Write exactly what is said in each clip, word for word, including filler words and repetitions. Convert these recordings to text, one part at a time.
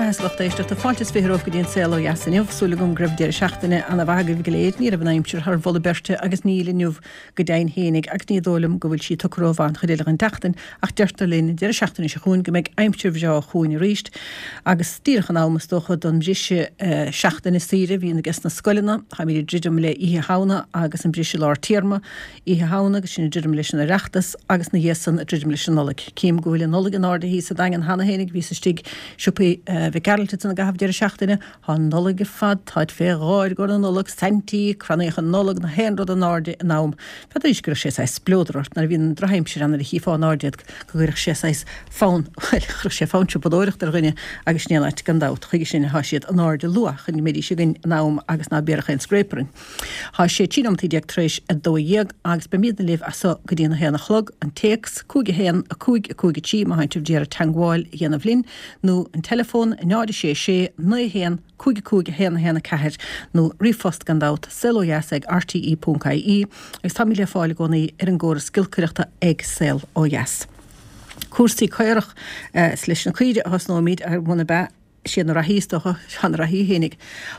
beatha lucht éisteachta fáilte is fiche romhaibh go dtí an Saol Ó Dheas inniu, súil agam go raibh deireadh seachtaine ana mhaith agaibh go léir, ní raibh an aimsir thar mholadh beirte agus níl inniu go deimhin fhéinig agus ní dóigh liom go bhfuil sí tugtha rómhaith an chuid eile den tseachtain ach deirtear linn an deireadh seachtaine seo chugainn go mbeidh aimsir bhreá chugainn arís agus díreach in am is dócha don bhriseadh seachtaine saoire a bhíonn aige sna scoileanna. Táimid ag druidim le Oíche Shamhna agus an briseadh lár téarma, Oíche Shamhna agus sinn ag druidim leis an Oireachtas agus na dhiaidh san ag druidim leis an Nollaig. Cím go bhfuil an Nollaig in airde thíos sa Daingean cheana fhéinig, bhíos istigh siopaí Mhic Gearailt ansan i gcaitheamh deireadh seachtaine, thá an Nollaig ar fad, táid fé dháir i gcomhair na Nollag, Saintí, crannaíocha Nollag, na haon rud in airde in am. N'fheadaraís go gcuirfeadh sé saghas spleodar ort nuair a bhíonn an drochaimsir ann nuair a chífeá in airde iad go gcuirfeadh sé saghas fonn, bhuel, chuirfeadh sé fonn siopadóireachta ar dhuine agus sin é an áit gan dabht, chuige sin athá siad in airde luath chun go mbeidís againn in am agus ná béarfadh aon scréip orainn. Thá sé trí nóimeataí déag tar éis a dó dhéag agus beimídne libh as so go dtí an a haon a chlog, an téacs, cúig a haon, a cúig, a cúig a trí má thánn sibh d'iarraidh teangmháil a dhéanamh linn, nó an teileafón, náid a sé sé, naoi a haon, cúig a cúig, a haon a haon a ceathair, nó ríomhphost gan dabht, saolodheas ag rte ponc ie, agus táimid le fáil i gcónaí ar an gcóras giolcaireachta ag Saol Ó Dheas. Cúrsaí caorach, is leis na caoirigh a thosnóimid, ar muna b'ea. Is iad na reathaí is dócha, tá na reathaí fhéinig.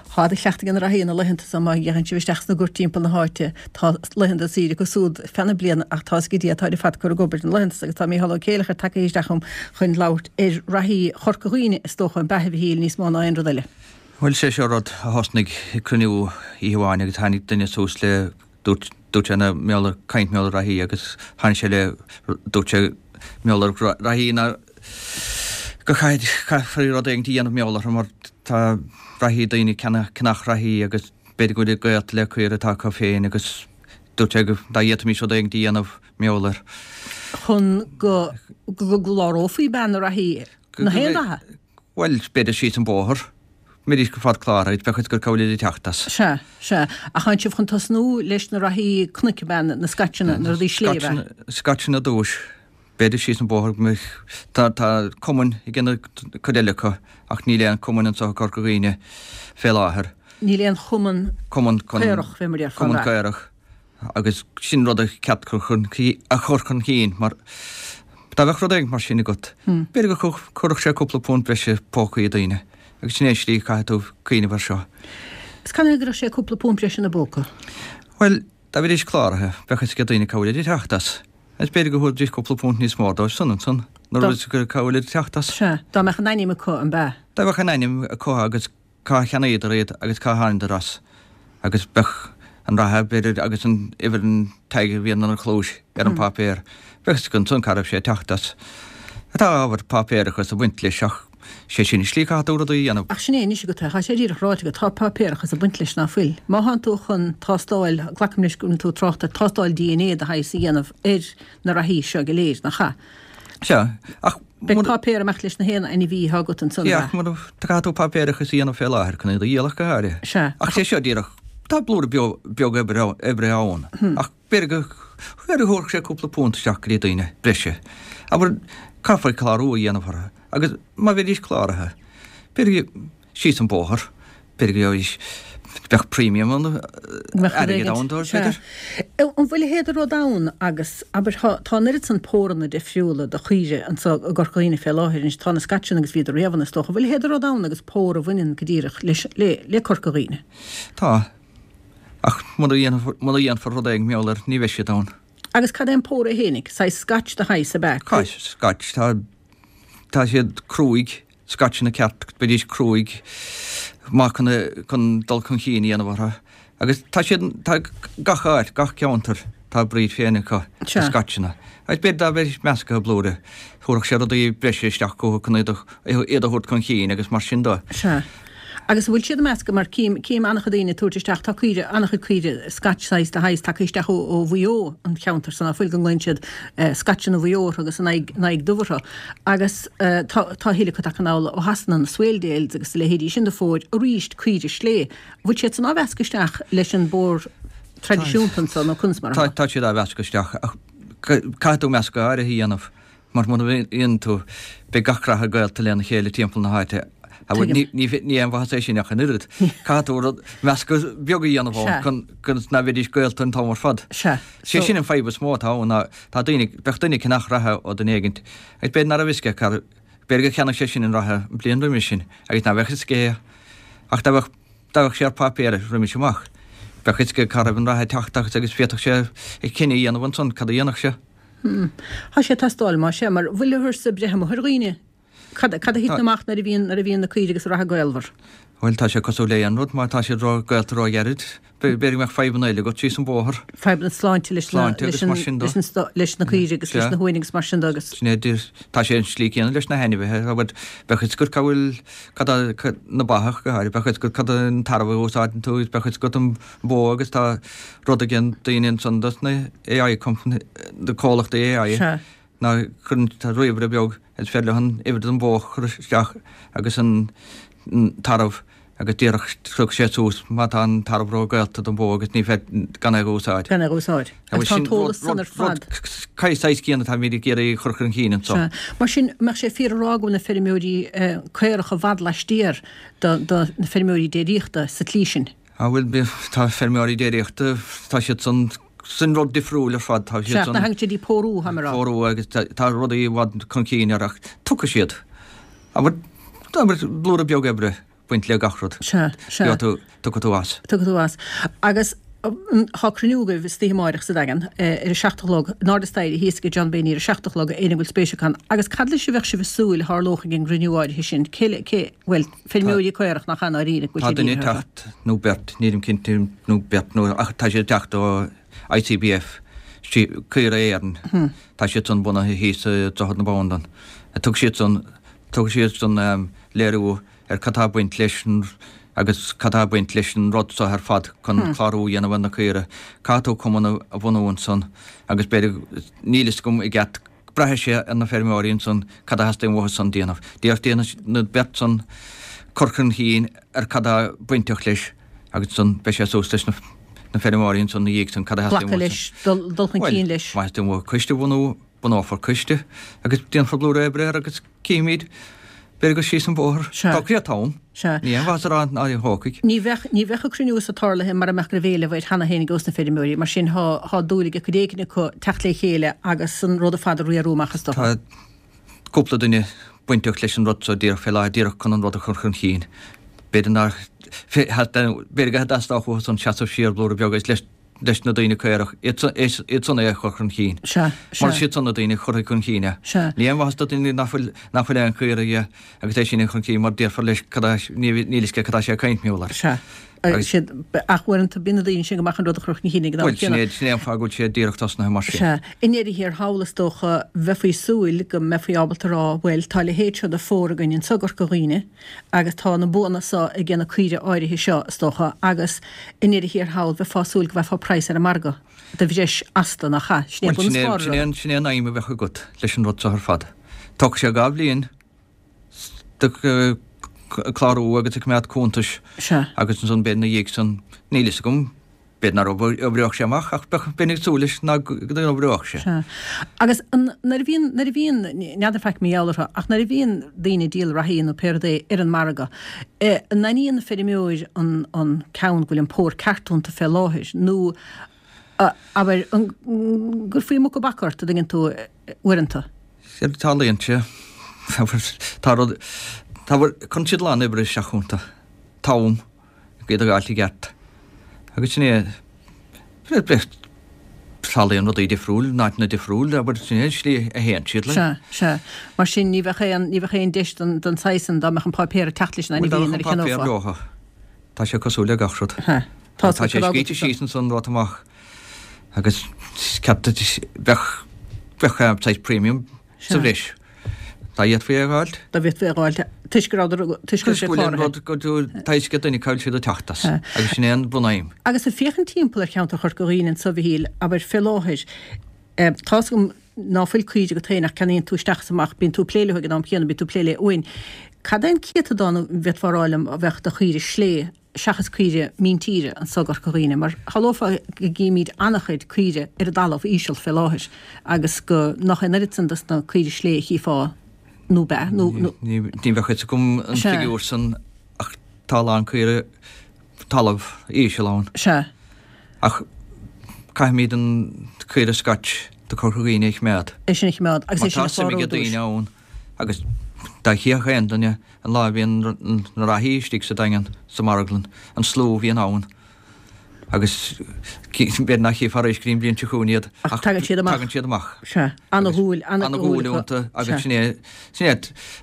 Tá de chleachtadh ag na reathaí na laethanta so má ghéachann sibh isteach sna goirt timpeall na háite tá laethanta saoire acu súd feadh na bliana ach tá's ag Dia táid ar fad curtha ag obair na laethanta so agus tá Mícheál Ó Céileachair tagtha isteach chugam chun labhairt ar reathaí Chorca Dhuibhne is dócha an b'ea a Mhichíl níos mó ná aon rud eile. Bhuel sé seo rud a thosnaigh ag cruinniú oíche amháin agus tháinig duine suas le dúirt dúirt sé na mar gheall ar caint mar gheall ar reathaí agus tháinig sé le dúirt sé mar gheall ar reathaí ná go caithfí rud éigin a dhéanamh mar gheall orthu mar tá reathaí daoine ag ceannach reathaí agus b'fhéidir go bhfuil siad gaolta le caora atá acu féin agus dúirt sé go dá bhféadfaimis rud éigin a dhéanamh mar gheall air. Chun go gclárófaí bean na reathaí na haon reatha? Bhuel, b'fhéidir síos an bóthar. Mbeidís go fad cláraithe, bheadh fhios agat cá bhfuil siad ag teacht as. Sea, sea. Ach tánn sibh chun tosnú leis na reathaí cnoic, bean, na scaitseanna, na rudaí sléibhe? Scaitseanna ar dtúis. B'fhéidir síos an bóthar go mbeadh, tá, tá cumainn ag déanamh cuid eile acu ach níl aon cumann anseo i gCorca Dhuibhne fé láthair. Níl aon chumann Cumann chun, caorach, fé mar a déarfá, cumann an ea? caorach agus sin rud a cheart cur chun, a chur chun cinn mar dá mbeadh rud éigin mar sin agat, b'fhéidir go gcuirfeadh sé cúpla punt breise i bpócaí daoine agus sin é an slí a chaithfidh tú cuimhneamh air seo. Is canathaobh a gcuirfeadh sé cúpla punt breise ina bpóca? Bhuel, dá mbeidís cláraithe, bheadh fhios ag daoine cá bhfuil siad ag teacht as. Agus b'fhéidir go dtabharfaidís cúpla punt níos mó dóibh san ansan, nuair a bhfuil fhios acu cá bhfuil siad ag teacht as. Sea, dá mbeadh an ainm acu, an b'ea? Dá mbeadh an ainm acu agus cá cheannaíodar iad agus cá thánadar as. Agus bheadh an reatha, b'fhéidir, agus an uimhir an tag a bhíonn ar an chluais ar an bpáipéar, bheadh fhios acu ansan cá raibh sé ag teacht as. Tá ábhar páipéarachas ag baint leis ach sé sin an slí a chaithfidh tú rudaí a dhéanamh. Ach sin é anois agat é, tá sé díreach ráite agat, tá páipéarachas ag baint leis, ná fuil? Má thánn tú chun tástáil, glacaim leis go bhfuil tú ag trácht ar tástáil DNA de shaghas a dhéanamh ar na reathaí seo go léir, nach ea? Sea, ach Beidh páipéar ag imeacht leis na haon ainmhí atá agat ansan, Sea, ach mura, caithfidh tú páipéarachas a dhéanamh fé láthair chun iad a dhíol ach go háirithe. Sea. Ach sé seo díreach, tá blúire beag oibre, oibre ann, ach b'fhéidir go, b'fhéidir go thabharfadh sé cúpla punt isteach go dtí daoine breise. Abair, caithfear clárú a dhéanamh orthu. Agus má bheidís cláraithe, b'fhéidir síos an bóthar, b'fhéidir go bheidís, bheadh premium ann, airgead ann dóibh, b'fhéidir. An bhfuil a leithéid de rud ann agus, abair, tá, tá an oiread san póranna difriúla de chaoire anso i gCorca Dhuibhne fé láthair anois, tá na Scotcheanna agus bhíodar riamh ann is dócha, an bhfuil a leithéid de rud ann agus pór a bhaineann go díreach leis, le, le Corca Dhuibhne? Tá. Ach muna dhéanfar, muna dhéanfar rud éigin mar gheall air, ní bheidh siad ann. Agus cad é an pór é fhéinig? Saghas Scotch de shaghas ab ea? Scotch, tá, tá siad cruaidh, Scotcheanna ceart, beidís cruaidh, maith chun, chun dul chun cinn a dhéanamh orthu. Agus tá siad, tá gach áit, gach ceantar, tá a breed féin acu, na Scotcheanna. Agus b'fhéidir dá mbeidís measctha blúire, thabharfadh sé rudaí breise isteach chucu chun iad a, iad a thabhairt chun cinn agus mar sin de. Sea. Agus an bhfuil siad ag meascadh, mar cím, cím an-chuid daoine ag tabhairt isteach, tá caoire, an-chuid caoire Scotch saghas de shaghas tagtha isteach ó, ó Mhaigh Eo, an cheantar san, ná fuil, go nglaonn siad Scotcheanna Mhaigh Eo orthu agus an aghaidh, an aghaidh dubh orthu. Agus tá, tá a thuilleadh acu tagtha anall ó Shasana, na Swaledales agus a leithéidí sin de phóir, arís caoire slé. An bhfuil siad san á mheascadh isteach leis an bpór traidisiúnta anso nó conas mar atá? Tá, tá siad á mheascadh isteach ach caithfidh tú meascadh áirithe a dhéanamh. Mar muna ndéanann tú, beidh gach reatha gaolta lena chéile timpeall na háite. Tuigim. Ní ní aon mhaitheas é sin ach an oiread. Caithfidh tú rud, meascadh beag a dhéanamh ann chun go ná bheidís gaolta an t-am ar fad. Sea. Sé sin an fadhb is mó atá ann ná tá daoine, bheadh duine ag ceannach reatha ó duine éigint agus b'fhéidir ná raibh fhios aige B'fhéidir gur cheannaigh sé sin an reithe an bliain roimis sin agus ná bheadh fhios aige ach dá bheadh dá bheadh sé ar páipéar roimis amach bheadh fhios aige cá raibh an reithe ag teacht agus agus féadfadh sé a chinneadh a dhéanamh ansan cad a dhéanfadh sé. Hmm. Tá sé ag teastáil más ea mar bhfuil uirthi breith amuigh ar dhaoine? Cad cad a thiteann amach nuair a bhíonn nuair a bhíonn na caoirigh agus an reithe gaolmhar? Bhuel, tá sé cosúil le aon rud, má tá siad ró gaolta ró-ghairid, b'fhéidir go mbeadh fadhbanna eile agat síos an bóthar. Fadhbanna sláinte leis na Sláinte agus mar sin de. leis an leis na caoirigh agus leis Sea. na huain agus mar sin de agus. Sin é, tá sé an slí céanna leis na hainmhithe, abair, bheadh fhios agat cá bhfuil, cad a, na ba ach go háirithe, bheadh fhios agat cad an tarbh a úsáideann tú agus bheadh fhios agat an bó agus tá rud ag an daoine ansan dos na AI company, na comhlachtaí AI. Sea. Ná cuireann tá ríomhaire beag is féidir leo an uimhir den bhó a chur isteach agus an tarbh agus díreach tiocfaidh sé suas má tá an tarbh ró-ghaolta don bhó agus ní féidir gan é a úsáid. Gan é a úsáid. Agus tá an t-eolas san ar fad. Cad saghas céanna táimid ag iarraidh a chur chun cinn anseo. Sea. Mar sin, mbeadh sé fíor a rá go bhfuil na feirmeoirí caorach i bhfad laistiar de na feirmeoirí déiríochta sa tslí sin? Á bhuel, tá feirmeoirí déiríochta, tá siad san Sin rud difriúil ar fad, tá siad san. Sea, thagann siad ag pórú, tá mé a rá. Pórú agus tá rudaí i bhfad chun cinn air ach tiocfaidh siad. Abair, abair, blúire beag oibre baint le gach rud. Sea, sea. Gheobhaidh tú, tiocfaidh tú as. Tiocfaidh tú as. Agus tá cruinniú agaibh istoíche amáireach sa Daingean ar a seacht a chlog, in airde staighre thíos ag John Bayne ar a seacht a chlog, éinne a bhfuil spéis acu ann. Agus cad leis a bheadh sibh ag súil a tharlódh ag an gcruinniú áirithe sin? Cé le, cé, bhuel, feirmeoirí caorach nach ea i ndáiríre, go bhfuil Tá siad duine ag dírithe orthu. teacht nó beirt, nílim cinnte, nó beirt nó ach tá siad ag teacht ó ICBF, Caoirigh Éireann, tá siad san bunaithe thíos i Droichead na Bandan. Tabharfaidh siad san, tabharfaidh siad san léiriú ar cad tá ag baint leis an agus cad tá ag baint leis an rud seo ar fad chun clárú a dhéanamh ar na caoirigh. Caithfidh tú cumann a bhunú ansan agus b'fhéidir, níl fhios agam i gceart, braithfidh sé ar na feirmeoirí ansan cad a theastaíonn uathu san déanamh. Díreach déanfaidh na beirt san cur chun cinn ar cad tá bainteach leis agus ansan beidh sé suas leis na na feirmeoirí ansan ina dhiaidh san cad a theastaíonn Glacadh uathu. leis, dul dul chun Bhuel, cinn leis. má theastaíonn uathu coiste a bhunú, bunófar coiste agus déanfar blúire oibre air agus cífimid, b'fhéidir gur síos an bóthar. Sea. Tá creat ann. Sea. Ní aon mhaitheas a rá ná thógfaidh. Ní bheadh, ní bheadh an cruinniú so tarlaithe mara mbeadh go raibh éileamh air cheana féin ag os na feirmeoirí, mar sin thá, thá dúil ag cuid éigin acu teacht le chéile agus an rud ar fad a riarú amach is dócha. Tá cúpla duine bainteach leis an rud seo díreach fé láthair, díreach chun an rud a chur chun chinn. B'fhéidir nár, b'fhéidir go dteastódh uathu san seasamh siar blúire beag agus leis, leis na daoine caorach, iad san, iad san é a chur chun chinn. Sea, sea. Mar is iad san na daoine a chuirfidh chun chinn é. Sea. Ní aon mhaitheas do dhuine nach bhfuil, nach bhfuil aon chaora aige agus é sin a chur chun cinn mar déarfar leis cad é, níl fhios aige cad tá sé ag caint mar gheall air. Sea. Agus. Siad, ach uaireanta bíonn na daoine sin go maith chun rud a chur chun cinn ag an am Bhuel, sin céanna. é, sin é an fáth go bhfuil sé díreach tosnaithe mar sin. Sea. I ndeireadh thiar thall, is dócha, bheifí ag súil go mbeifí ábalta a rá, bhuel, tá a leithéid seo de phór againn anso i gCorca Dhuibhne agus tá na buanna seo ag na caoirigh áirithe seo, is dócha, agus i ndeireadh thiar thall, bheifeá ag súil go bhfaighfeá praghas ar an margadh de bhreis astu, nach ea? Sin é Bhuel, bunús sin é, an sin é rud. an, sin é an aidhm a bheadh agat leis an rud seo ar fad. Tógfaidh sé dhá bhliain do clárú agus ag coimeád cuntais Sea. agus ansan b'fhéidir ina dhiaidh san, níl fhios agam, b'fhéidir nár oibreodh sé amach ach bheadh, bheinn ag súil leis ná go n-oibreodh sé. Sea. Agus an, nuair a bhíonn, nuair a bhíonn, n'fheadar faic mar gheall orthu, ach nuair a bhíonn daoine ag díol reathaí nó pé rud é ar an margadh, eh, an aithníonn an feirmeoir an, an ceann go bhfuil an pór ceart iontu fé láthair nó, abair, an gcuirfí muca bac ort, a dtuigeann tú, uaireanta? Séard a tarlaíonn sé, tá rud, tá, cuireann siad a lán oibre isteach iontu, t-am, iad a fháilt i gceart. Agus sin é, tarlaíonn rudaí difriúil, in áiteanna difriúil, abair, sin é an slí a théann siad le. Sea, sea. Mar sin ní bheadh aon, ní bheadh aon deis don, don saghas san dá mbeadh an páipéar ag teacht leis an Bhuel, dá ainmhí mbeadh nuair an a páipéar cheannófá. leothu, tá sé cosúil le gach rud. Sea. Tá Tá sé scríte síos ansan rud amach agus ceaptar bheadh bheadh saghas premium sa bhreis. Dá bhféadfaí é a dh'fháilt. Dá bhféadfaí é a dh'fháilt toisc go rabhadar toisc go raibh sé Toisc go bhfuil an cláraithe. rud go tá fhios ag duine cá bhfuil siad ag teacht as agus sin é an bunaidhm. Agus ag féachaint timpeall ar cheantar Chorca Dhuibhne anso a Mhichíl, abair fé láthair, tá's agam ná fuil caoirigh agat féin ach ceannaíonn tú isteach is amach, bíonn tú ag plé leo ag an am céanna, bíonn tú ag plé le uain. Cad é an céatadán an bhféadfá a rá liom a bheadh de chaoirigh slé seachas caoirigh míntíre anso i gCorca Dhuibhne, mar shamhlófá go gcímid an-chuid caoirigh ar an dtalamh íseal fé láthair agus go nach é an oiread san dos na caoirigh slé a chífeá nó b'ea, nó, nó. Ní bheadh fhios agam an Sea. figiúr san ach tá a lán caoirigh talamh íseal ann. Sea. Ach caithfimid an caoire Scotch do Chorca Dhuibhne a choimeád. É sin a choimeád agus Mar é sin tá a suim chlárú ag i dtús. daoine ann agus Dá chífeadh aon duine an lá a bhíonn na reathaí istigh sa Daingean, sa marglann, an slua a bhíonn ann agus b'fhéidir nach chífear arís go dtí an bhliain seo chugainn iad ach tagann siad amach. Tagann siad amach. Sea. Ana-dhúil, ana-dhúil iontu agus sin é, sin é,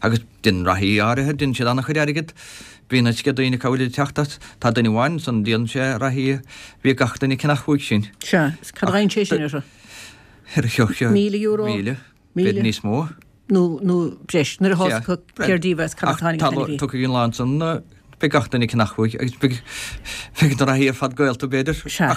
agus déanann reathaí áirithe, déanann siad ana-chuid airgid. Bíonn a fhios ag daoine cá bhfuil ag teacht as. Tá duine amháin ansan, díolann sé reathaí, bhí gach duine ag ceannach uaidh sin. Sea, is cad a fhaigheann sé sin orthu? Míle euro? Míle. B'fhéidir níos mó. Nó, nó breis, nuair a thá's acu cér díobh as cad atá Tá, tiocfaidh an lá ansan, beidh gach duine ag ceannach uaidh agus beidh, beidh na reathaí ar fad gaolta b'fhéidir. Sea.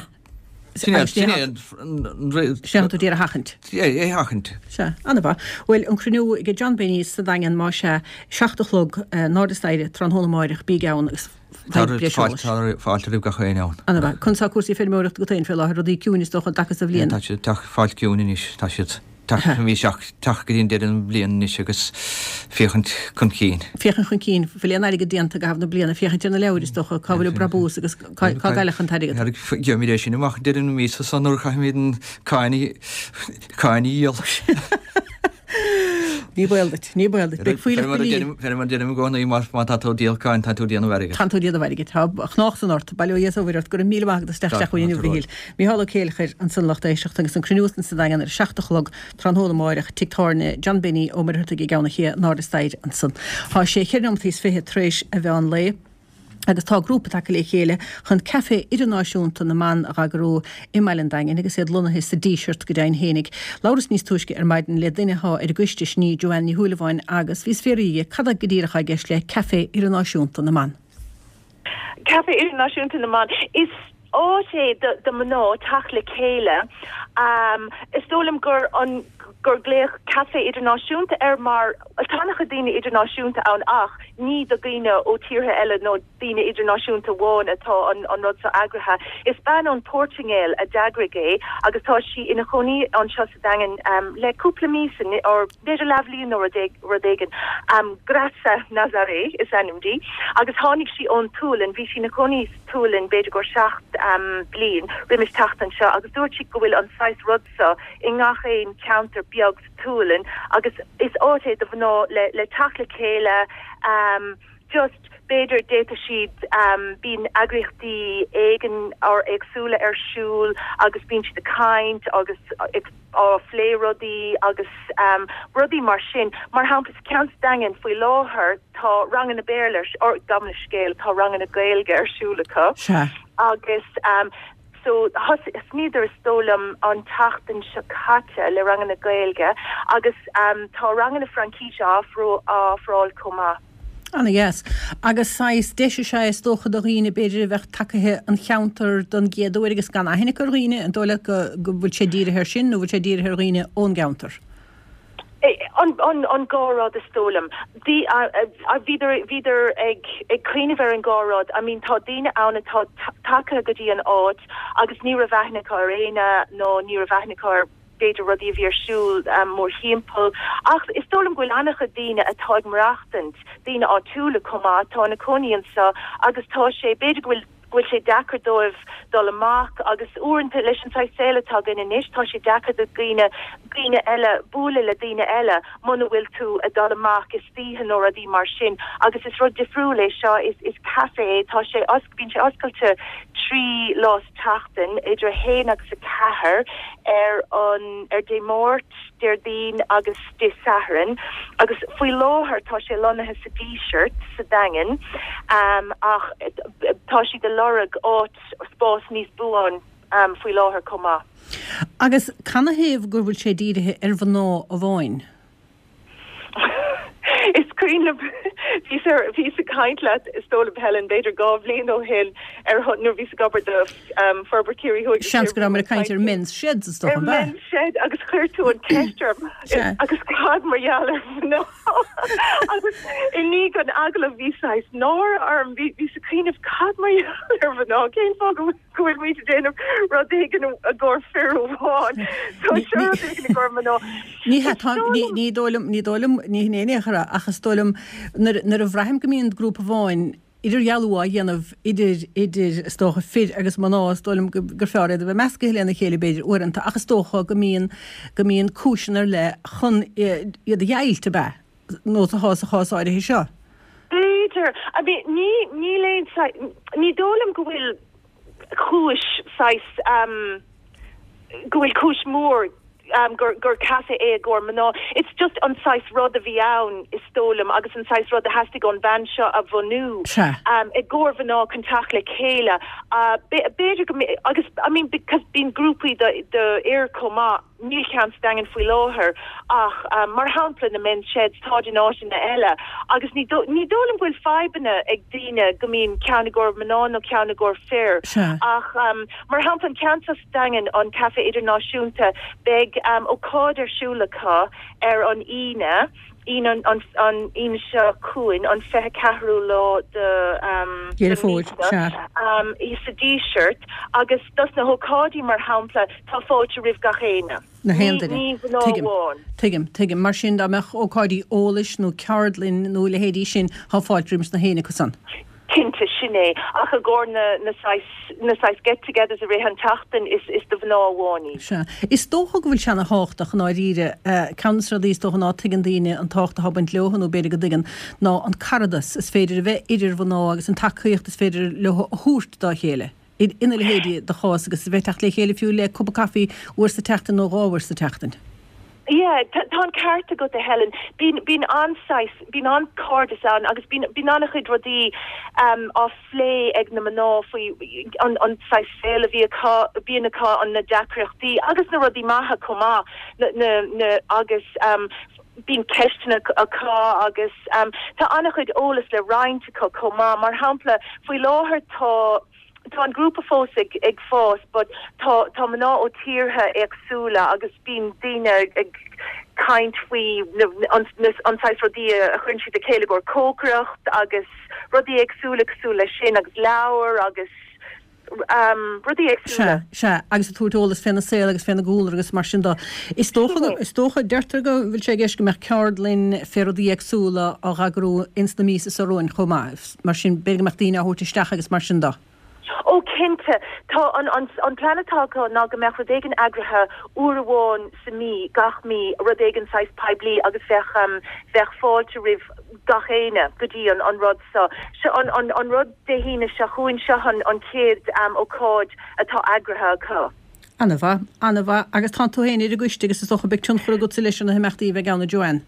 Sin é, sin é an, an, Sin é atá tú d'iarraidh a sheachaint. É, é a sheachaint. Sea, ana-mhaith. Bhuel, an cruinniú ag John Benny sa Daingean, más ea, seacht a chlog, in airde staighre, tráthnóna amáireach, bígí ann agus Tá fáilte, fáilte roimh gach éinne ann. Ana-mhaith. Conas tá cúrsaí feirmeoireachta agat féin fé láthair, rudaí ciúin is dócha an dtaca so bhliain? Tá siad ag teacht fáil ciúin anois, tá siad teacht bhí seach teacht go dtí an deireadh an bhliain anois agus féachaint chun cinn. Féachaint chun cinn, bhfuil aon airgead déanta i gcaitheamh na bliana, féachaint ar na leabhair is dócha, cá bhfuil an brabús agus cá cá gcailleadh an t-airgead. Gheobhaimid é sin amach deireadh na míosa so nuair a chaithfimid an cáin a cáin a dhíol. Ní baol duit, ní baol duit. Beidh fuílleach Fé mar a deirim fé mar a deirim i gcónaí má má tá tú ag díol cáin tá tú ag déanamh airgid. Tá tú ag déanamh airgid. Tá a chnách san ort. Bail ó Dhia is ó Mhuire ort. Go raibh míle maith agat as teacht isteach chugainn inniu, a Mhichíl. Micheál Ó Céileachair ansan lucht éisteachta agus an cruinniú san sa Daingean ar a seacht a chlog tráthnóna amáireach, Tigh Tábhairne John Benny Ó Muircheartaigh i gCeann an Ché in airde staighre ansan. Tá sé cheithre nóimeataí is fiche tar éis a mheán lae. Agus tá grúpa tagtha le chéile chun Caife Idirnáisiúnta na mBan a dh'eagrú i mbaile an Daingin agus iad lonnaithe sa Díseart go deimhin fhéinig. Labhras níos túisce ar maidin le duine athá ar an gcoiste, sin í Joanne Ní Shúilleabháin agus bhíos fiafraí dhi cad é go díreach athá i gceist le Caife Idirnáisiúnta na mBan. Caife Idirnáisiúnta na mBan. Is áit é do mná teacht le chéile. Is dóigh liom gur an gur glaodh Caife Idirnáisiúnta air mar tá an-chuid daoine idirnáisiúnta ann ach ní do dhaoine ó tíortha eile nó daoine idirnáisiúnta amháin atá an an rud seo eagraithe. Is bean ón Portaingéil a d'eagraigh é agus tá sí ina chónaí anseo sa Daingean le cúpla míosa or b'fhéidir leathbhliain nó rud rud éigin. Graça Nazaré is ainm di agus tháinig sí ón tSualainn, bhí sí ina cónaí sa tSualainn b'fhéidir gur seacht bliain roimis teacht anseo agus dúirt sí go bhfuil an saghas rud seo i ngach aon cheantar beag sa tSualainn agus is áit é do mhná le le teacht le chéile just b'fhéidir d'fhéadfadh siad bíonn eagraíochtaí éigin or éagsúla ar siúl agus bíonn siad ag caint agus ag á phlé rudaí agus rudaí mar sin. Mar shampla sa ceann sa Daingean faoi láthair tá ranganna Béarla ar gabh mo leithscéal tá ranganna Gaeilge ar siúl acu agus So thosnaíodar is dóigh liom an tseachtain seo caite le ranganna Gaeilge agus tá ranganna Fraincíse á ofráil chomh maith. Ana-dheas. Agus saghas deis is ea é is dócha do dhaoine b'fhéidir a bheadh tagaithe an cheantar don gcéad uair agus gan aithne acu ar dhaoine, an dóigh leat go go bhfuil sé dírithe air sin nó bhfuil sé dírithe ar dhaoine ón gceantar? An dhá rud is dóigh liom. Bhíodar bhíodar ag ag cuimhneamh ar an dhá rud. I mean tá daoine ann atá tagtha go dtí an áit agus ní raibh aithne acu ar éinne nó ní raibh aithne acu ar b'fhéidir rudaí a bhí ar siúl mórthimpeall. Ach is dóigh liom go bhfuil an-chuid daoine atá ag maireachtaint, daoine áitiúla chomh maith, atá ina cónaí anseo agus tá sé, b'fhéidir go bhfuil, go bhfuil sé deacair dóibh dul amach agus uaireanta leis an saghas saol atá againn anois tá sé deacair do dhaoine, daoine eile, bualadh le daoine eile muna bhfuil tú ag dul amach istoíche nó rudaí mar sin agus is rud difriúil é seo, is, is caife é, tá sé, bíonn sé oscailte trí lá sa tseachtain idir a haon agus a ceathair ar an, ar Dé Máirt, Déardaoin agus Dé Sathairn agus faoi láthair tá sé lonnaithe sa Díseart sa Daingean ach tá siad ag lorg áit, spás níos buan faoi láthair chomh maith. Agus canathaobh go bhfuil sé dírithe ar mhná amháin? Is cuimhin liom, bhíos ar, bhíos ag caint leat is dóigh liom Helen, b'fhéidir dhá bhliain ó shin ar nuair a bhíos ag obair do Forbairt Chiarraí Thuaidh. Seans go rabhamar ag caint ar Men's Sheds is dócha, an b'ea? Ar Men's Shed agus chuir tú an ceist orm agus cad mar gheall ar mhná agus i ndiaidh an agallaimh bhí saghas náire orm, bhí, bhíos ag cuimhneamh cad mar gheall ar mhná, cén fáth go bhfuil go bhfuil muid ag déanamh rud éigin i gcomhair fir amháin. So seo rud éigin i gcomhair mná. Ní hea, tá, ní, ní dóigh liom, ní dóigh liom, ní hin é in aon chor é, ach is dóigh liom nuair, nuair a bhraithim go mbíonn grúpa amháin idirdhealú á dhéanamh idir, idir, is dócha, fir agus mná, is dóigh liom gur fearr iad a bheith meascaithe lena chéile b'fhéidir uaireanta, ach is dócha go mbíonn, go mbíonn cúiseanna ar leith chun iad a dheighilt, ab ea? nós atá sa chás áirithe seo. B'fhéidir. I mean, ní níl aon ní dóigh liom go bhfuil cúis saghas um, go bhfuil cúis mór um, gur gur caife é i gcomhair mná. It's just an saghas rud a bhí ann is dóigh liom agus an saghas rud a theastaigh ón bhean seo a bhunú. Sea. Um, i gcomhair mná chun teacht le chéile. Uh, b'fhéidir go agus I mean because bíonn grúpaí do do fhir chomh maith níl ceann sa Daingean faoi láthair ach um, mar shampla na men's sheds tá in áiteanna eile agus ní dó- ní dóigh liom go bhfuil fadhbanna ag daoine go mbíonn ceann i gcomhair mná nó ceann i gcomhair fir. Sea. Ach um, mar shampla an ceann sa Daingean an Café Idirnáisiúnta beidh um, ócáid ar siúl acu ar an Aoine Aoine an, an, an Aoine seo chugainn an fiche ceathrú lá de um, Deireadh de Fómhair, míosa, sea. um, í sa Díseart agus dos na hócáidí mar shampla tá fáilte roimh gach éinne. Na haon Ní- duine. Ní mná Tuigim. amháin. Tuigim, tuigim, mar sin dá mbeadh ócáidí eolais nó ceardlann nó leithéidí sin tá fáilte roimh na héinne acu san. Cinnte sin é ach i gcomhair na na saghas na saghas get-togethers i rith an tseachtain is is do mhná amháin í. Sea. Is dócha go bhfuil sé an-tábhachtach i ndáiríre ceann de na rudaí is dócha ná tuigeann daoine an tábhacht atá ag baint leo nó b'fhéidir go dtuigeann ná an caradas is féidir a bheith idir mhná agus an tacaíocht is féidir leo a thabhairt dá chéile. In ina leithéidí de chás agus a bheith teacht le chéile fiú le cupa caife uair sa tseachtain nó dhá uair sa tseachtain. Yeah, tá tá an ceart agat a Helen. Bíonn bíonn an-saghas bíonn an-chairdeas ann agus bíonn bíonn an-chuid rudaí um, á phlé ag na mná faoi an an saghas saol a bhí acu bíonn acu an na deacrachtaí agus na rudaí maithe chomh maith na na na agus um, bíonn ceisteanna acu agus um, tá an-chuid eolas le roinnt acu chomh maith mar shampla faoi láthair tá tá an grúpa fós ag ag fás, but tá tá mná ó tíortha éagsúla agus bíonn daoine ag caint faoi na- an na- an saghas rudaí a chuireann siad le chéile gur cócaireacht agus rudaí éagsúla cosúil leis sin agus leabhar agus um, rudaí éagsúla. Sea, sea, agus ag tabhairt eolas féna saol agus féna gcúlra agus mar sin de. Is dócha go- is dócha deirtear go bhfuil sé i gceist go mbeadh ceardlann fé rudaí éagsúla á eagrú ins na míosa seo romhainn chomh maith. Mar sin b'fhéidir go mbeadh daoine á thabhairt isteach agus mar sin de. Ó cinnte tá an an an plean atá acu ná go mbeadh rud éigin eagraithe uair amháin sa mí gach mí rud éigin saghas poiblí agus bheadh um, bheadh fáilte roimh gach éinne go dtí an an rud so. Se an an an rud Dé hAoine seo chugainn seo an an chéad um, ócáid atá eagraithe acu. An-mhaith, an-mhaith agus tá tú féin ar an gcoiste agus is dócha beidh tionchar agat leis na himeachtaí a bheidh ann a Joanne.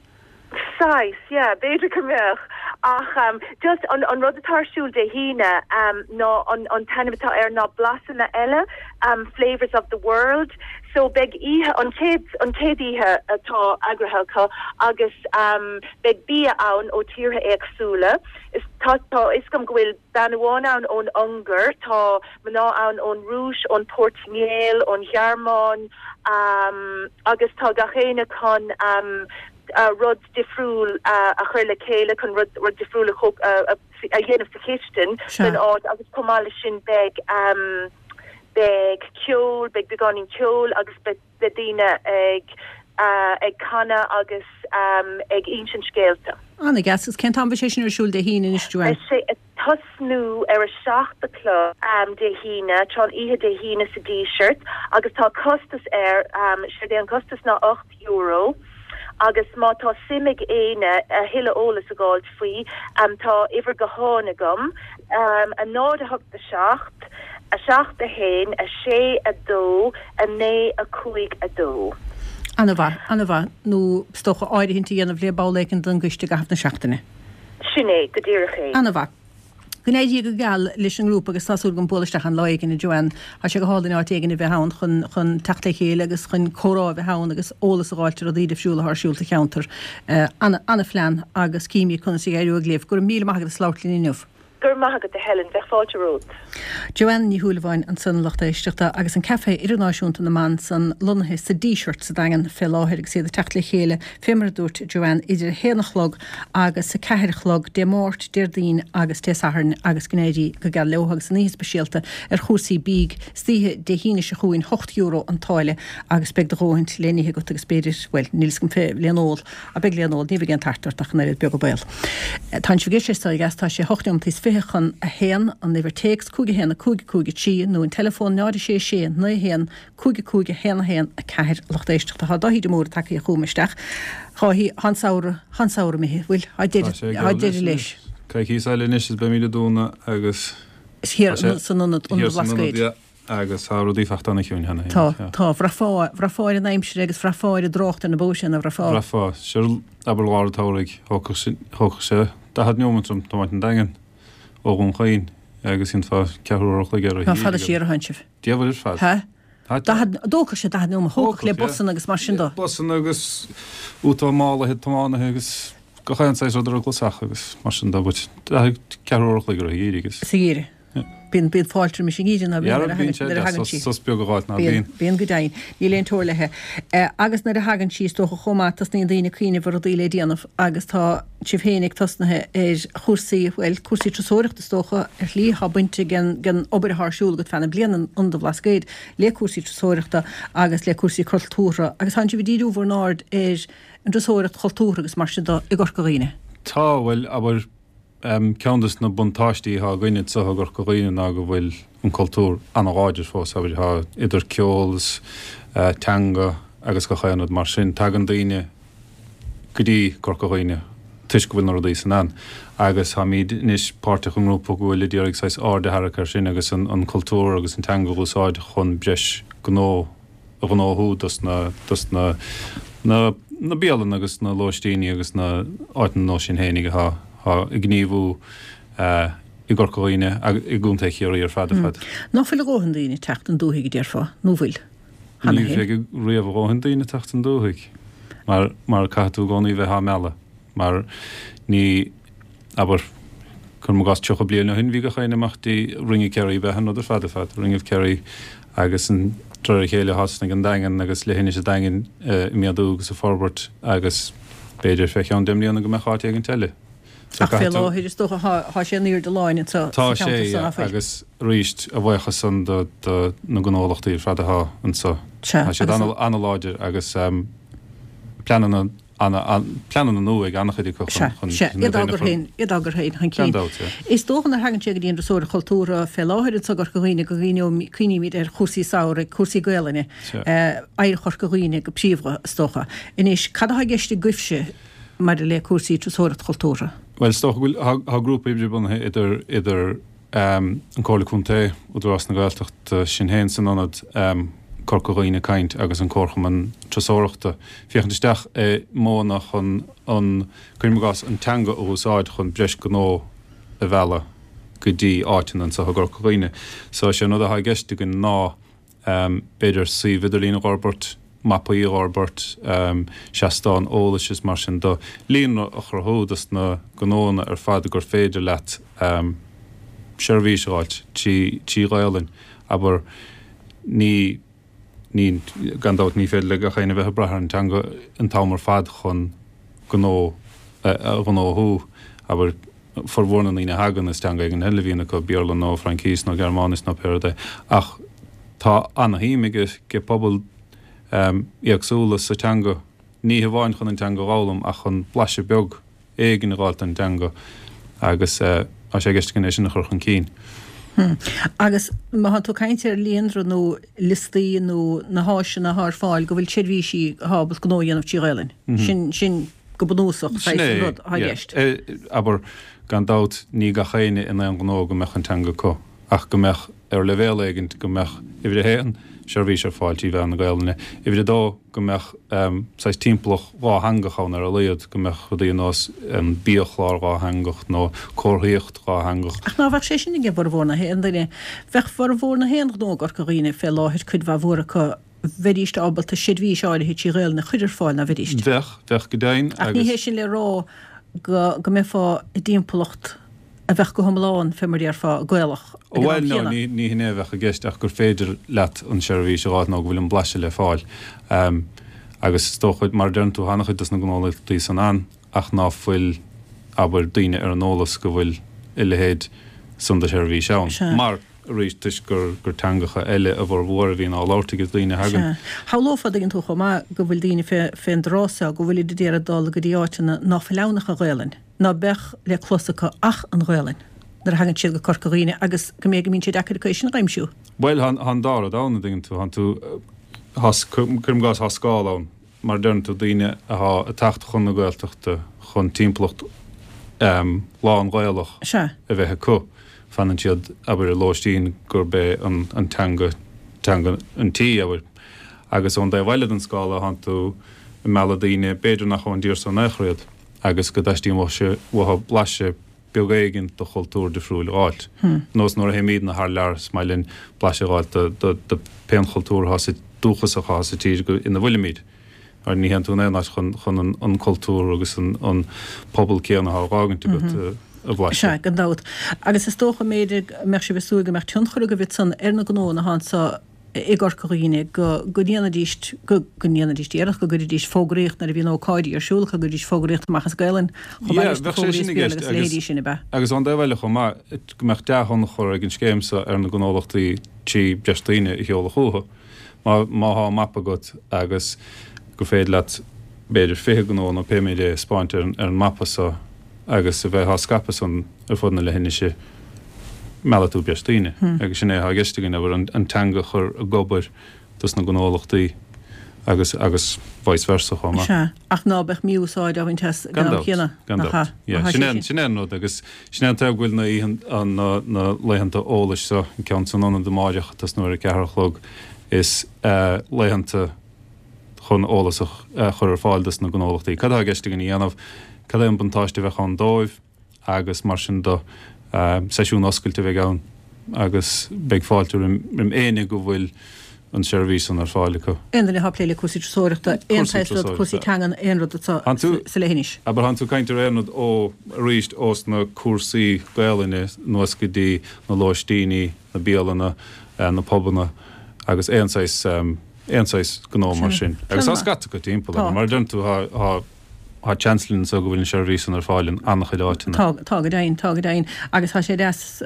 Saghas, yeah, b'fhéidir go mbeadh ach um, just an, an rud atá ar siúl Dé hAoine um, ná an, an t-ainm atá air ná blasanna eile um, flavors of the world so beidh oíche an chéad an chéad oíche atá eagraithe acu agus um, beidh bia ann ó tíortha éagsúla is tá tá is gom go bhfuil bean amháin ann ón Ungáir tá mná ann ón Rúis ón Portaingéil ón Ghearmáin um, agus tá gach éinne chun um, uh, rud difriúil uh, a chur le chéile chun rud, rud difriúil a, cho- uh, a, a dhéanamh sa chistin Sea. den áit agus chomh maith leis sin beidh um, beidh ceol beidh beagáinín ceol agus beidh beidh daoine ag uh, ag canadh agus um, ag insint scéalta. An-deas agus cén t-am sé sin ar siúl Dé hAoine anois Joanne. Beidh sé ag tosnú ar a seacht a chlog um, Dé hAoine tráthnóna oíche Dé hAoine sa Díseart agus tá costas air um, sé é an costas ná ocht euro. Agus má tá suim ag éinne a thuilleadh eolas a fháilt faoi um, tá uimhir gutháin agam um, a náid a hocht a seacht, a seacht a haon, a sé a dó, a naoi a cúig a dó. An-mhaith, an-mhaith nó is dócha áirithint a dhéanamh le ball éigin den gcoiste i gcaitheamh na seachtaine. Sin é go díreach é. An-mhaith. Go n-éirí go geal leis an ngrúpa agus tá súil agam bualadh isteach an lá éigin a Joanne Tá sé go hálainn áit éigin a bheith ann chun chun teacht le chéile agus chun comhrá a bheith ann agus eolas a fháilt ar rudaí difriúla ar siúl sa cheantar. Uh, an an-phlean agus címid conas a éireoidh libh, go raibh míle maith agat as labhairt linn inniu. Gur maith agat a Helen bheadh fáilte romhat. Joanne Ní Shúilleabháin ansan a lucht éisteachta agus an Café Idirnáisiúnta na mBan san lonnaithe sa Díseart sa Daingean fé láthair agus iad ag teacht le chéile fé mar a dúirt Joanne idir a haon a chlog agus a ceathair a chlog Dé Máirt Déardaoin agus Dé Sathairn agus go n-éirí go geal leo agus an oíche speisialta ar chúrsaí bídh istoíche Dé hAoine seo chugainn ocht euro an táille agus beidh do dhóthain le n-ithe agat agus b'fhéidir well níl 's agam fé le n-ól a beidh le n-ól ní bheidh aon tart ort ach an oiread beag baol. Tá sé sé tá sé hocht nóiméad fiche chun a haon, an uimhir téacs cúig a haon a cúig a cúig a trí nó an teileafón náid a sé sé naoi a haon cúig a cúig a haon a haon a ceathair. A lucht éisteachta, tá Dáithí de Mórdha tagtha chugam isteach. Dháithí, tá an samhradh, tá an samhradh imithe, bhfuil, tá deireadh, tá deireadh leis. Coicís eile anois is beimid ag dúnadh agus. Thiar san ionad, Ionad an Bhlascaoid. Yeah. Agus tá rudaí fachta ana chiúin cheana féin. Tá, tá. Bhraithfeá, bhraithfeá ar an aimsir agus bhraithfeá ar an dtrácht ar na bóithre, ná bhraithfeá? Bhraithfeá. Sure, abair lár an tsamhraidh, thógfadh sé, thógfadh sé daichead neomat orm tiomáint an Daingean ó Dhún Chaoin agus dhéanfá ceathrú uair a chloig air ó Ná fada siar a tánn sibh. Diabhal ar fad. Há? Daichead, dtógfadh sé daichead neomat, thógfadh le busanna agus mar sin dó. Busanna agus úta málaithe tiománaithe agus gach aon saghas rud ar an gclasach agus mar sin dó, but daichead, ceathrú uair a chloig ar an gheimhreadh agus. Sa gheimhreadh. Bíonn, bíonn fáilte roimis an ngeimhreadh ná bíonn nuair a thagann, nuair a thagann sí. Sos beag a dh'fháilt ná bíonn. Bíonn go deimhin. Níl aon teora léi. Agus nuair a thagann sí is dócha chomh maith tosnaíonn daoine ag cuimhneamh ar rudaí le déanamh agus tá sibh féin ag tosnaithe ar chúrsaí, bhuel, cúrsaí turasóireachta is dócha, ar shlí, tá baint ag an, ag an obair atá ar siúl agat feadh na bliana in Ionad an Bhlascaoid le cúrsaí turasóireachta agus le cúrsaí cultúrtha agus tánn sibh ag díriú bhur n-aird ar an dturasóireacht chultúrtha agus mar sin de i gCorca Dhuibhne. Tá, bhuel, abair, Ceann de na buntáistí atá againn anseo i gCorca Dhuibhne ná go bhfuil an cultúr an-láidir fós, abair, tá idir ceol is teanga agus gach aon rud mar sin. Tagann daoine go dtí Corca Dhuibhne toisc go bhfuil na rudaí san ann agus táimid anois páirteach i ngrúpa go bhfuil ag iarraidh saghas aird a tharrac air sin agus an cultúr agus an teanga a úsáid chun breis gnó a ghnóthú dos na dos na na na bialanna agus na lóistíní agus na áiteanna nós sin fhéinig atá atá ag gníomhú i gCorca Dhuibhne agus i gContae Chiarraí ar fad ar fad. Ná fuil a dhóthain daoine ag teacht 'on dúthaigh a déarfá, nó bhfuil? Cheana Ní féin. bheidh riamh a dhóthain daoine ag teacht 'on dúthaigh mar mar caithfidh tú i gcónaí bheith á mealladh mar ní abair, cuirim i gcás tríocha bliain ó shin bhí gach éinne amach dtí Ring of Kerry, b'ea an rud ar fad ar fad, Ring of Kerry agus de réir a chéile thosnaigh an Daingean agus leithinis an Daingin ag méadú agus ag forbairt agus b'fhéidir fé cheann deich mbliana go mbeadh áit éigint eile. Ach fé láthair is dócha tá sé in airde láin anseo sa cheantar so, ná fuil? Tá sé, agus arís a bhuíochas san do na gnólachtaí ar fad atá anseo. Tá siad an-láidir agus pleananna pleananna nua ag an-chuid acu chun Sea, iad á gcur féin, iad á gcur féin chun cinn. Is dócha nuair a thagann sé go dtí an turasóireacht chultúrtha fé láthair anseo i gCorca Dhuibhne go gcuimhnímid ar chúrsaí samhraidh, cúrsaí Gaelainne, oidhreacht Chorca Dhuibhne go príomha, is dócha. Anois, cad atá i gceist agaibhse maidir le cúrsaí turasóireacht chultúrtha? Bhuel, is dócha go bhfuil, tá grúpa oibre bunaithe idir, idir an Comhairle Contae, Údarás na Gaeltachta, sinn féin san ionad, Corca Dhuibhne Caint agus an Comharchumann Turasóireachta, féachaint isteach i modhanna chun an, cuirim i gcás, an teanga a úsáid chun breis gnó a mhealladh go dtí áiteanna anseo i gCorca Dhuibhne. So, is é an rud atá i gceist againn ná b'fhéidir suíomh idirlín a dh'fhorbairt, mapaí a dh'fhorbairt, seastán eolais is mar sin de, líonra a chruthú dos na gnóanna ar fad gur féidir leat seirbhís a dh'fháilt trí trí Ghaolainn, abair, ní, ní, gan dabht ní féidir le gach éinne a bheith ag brath ar an teanga an t-am ar fad chun gnó a ghnóthú, abair, formhór na ndaoine a thagann is teanga éigin eile a bhíonn acu, Béarla nó Fraincís nó Gearmáinis nó pé rud é, ach tá ana-shuim ag pobail éagsúla sa teanga, ní hamháin chun an teanga a dh'fhoghlaim ach chun blaiseadh beag éigin a dh'fháilt den teanga agus tá sé i gceist againn é sin a chur chun cinn. Agus má thánn tú ag caint ar líonra nó liostaí nó na háiseanna atá ar fáil go bhfuil seirbhísí atá ábalta gnó a dhéanamh trí Ghaelainn, sin, sin go bunúsach Sin saghas é, an rud atá i yeah. gceist. Abair, gan dabht, ní gach éinne in aon ghnó go mbeadh an teanga acu, ach go mbeadh, ar leibhéal éigint, go mbeadh, uimhir a haon, seirbhís ar fáil trí mheán na Gaelainne, uimhir a dó, go mbeadh saghas timpeallacht dhátheangach ann ar a laghad, go mbeadh rudaí ar nós biachlár dhátheangach nó comharthaíocht dhátheangach. Ach ná bheadh sé sin ag formhór na haon duine? Bheadh formhór na haon ghnó i gCorca Dhuibhne fé láthair, cuid mhaith mhór acu, bheidíst ábalta seirbhís áirithe trí Ghaelainn a chur ar fáil, ná bheidíst? Bheadh, bheadh go deimhin, Ach ní agus. hé sin le rá go go mbeifeá i dtimpeallacht a bheadh go hiomlán, fé mar a déarfá, Gaelach ag an am Bhuel, no, chéanna. ní, ní hin é a bheadh i gceist ach gur féidir leat an seirbhís a dh'fháilt nó go bhfuil an blaiseadh le fáil. Agus is dócha, mar a deireann tú, tá an-chuid dos na gnólachtaí san ann ach ná fuil, abair, daoine ar an eolas go bhfuil a leithéid san de sheirbhís ann. Sea. Mar, arís, toisc gur, gur teangacha eile a bhformhór a bhíonn á labhairt ag daoine a thagann. Sea. Shamhlófá, an dtuigeann tú chomh maith, go bhfuil daoine fé, fén dtráth so, go bhfuilid ag iarraidh dul go dtí áiteanna ná fuil ann ach an Ghaelainn, ná beadh le clos acu ach an Ghaelainn. nuair a thagann siad go Corca Dhuibhne agus go mb'fhéidir go mbíonn sé deacair acu é sin a aimsiú. Bhuel, tá an dá rud ann, an dtuigeann tú, tá tú, cuirim i gcás, tá scála ann, mar a deireann tú, daoine atá ag teacht chun na Gaeltachta chun timpeallacht lán-Ghaelach a bheith acu, fanann siad, abair, i lóistín gurb é an teanga teanga an tí, abair. Agus ón dtaobh eile den scála, tánn tú ag mealladh daoine, b'fhéidir nach ón dtír so in aon chor iad, agus go dteastaíonn uathu blaiseadh beag éigin de chultúr difriúil a fháilt. Nós nuair a théimidne thar lear, is maith linn blaiseadh a fháilt de de pén chultúr atá sa dúchasach atá sa tír ina bhfuilimid. Mar ní théann tú in aon áit chun chun an cultúr agus an pobal céanna atá á dh'fhágaint agat a bhlaiseadh. Sea, gan dabht. Agus is dócha, mb'fhéidir, go mbeadh sibh ag súil go mbeadh tionchar agaibh ansan ar na gnóanna atá anso i gCorca Dhuibhne, go go ndéanfaidís, go go ndéanfaidís iarracht, go gcuirfidís fógraíocht nuair a bhíonn ócáidí ar siúl acu, go gcuirfidís fógraíocht amach as Gaelainn chomh maith Yeah, leis na bheadh sé fógraí sin as i Béarla gceist agus a agus leithéidí sin, ab ea? agus ón dtaobh eile chomh maith, go mbeadh dea-thionchar ag an scéim so ar na gnólachtaí trí breis daoine a sheoladh chucu. Má má thá mapa agat agus gur féidir leat b'fhéidir fiche gnó nó pé méid é a 'speáint ar an mapa so agus a bheith á scaipeadh san ar fud na leithinise, meallfaidh tú breis daoine. Agus sin é atá i gceist againn, abair, an teanga a chur ag obair dos na gnólachtaí agus agus vice versa chomh maith. Sea, ach ná beadh mí-úsáid á bhaint as ag Gan an am dabht, céanna, gan nach dabht. ea? Yeah, Má tá sin sé é an, sin. sin é an rud agus sin é an taobh go bhfuil na oícheanta, na, na laethanta eolais so, an ceann san ionad amáireach ag tosnú ar a ceathair a chlog, is laethanta chun eolas a chur ar fáil dos na gnólachtaí. Cad atá i gceist againn a dhéanamh? Cad é an buntáiste a bheadh ann dóibh? Agus mar sin de. Seisiún oscailte a bheidh ann agus beidh fáilte roim éinne go bhfuil an tseirbhís san ar fáil acu. Aon duine atá ag plé le cúrsaí turasóireachta, aon saghas rud, cúrsaí teangan, aon rud atá sa leithinis. Abair, tánn tú ag caint ar aon rud ó, arís, ós na cúrsaí Gaelainne anuas go dtí na lóistíní, na bialanna, na pubanna agus aon saghas, aon saghas gnó mar sin. Agus tá scata acu timpeall, mar a deireann tú, tá, tá seans linn anseo go bhfuil an seirbhís san ar fáil in an-chuid áiteanna. Tá, tá go deimhin, tá go deimhin. Agus tá sé deas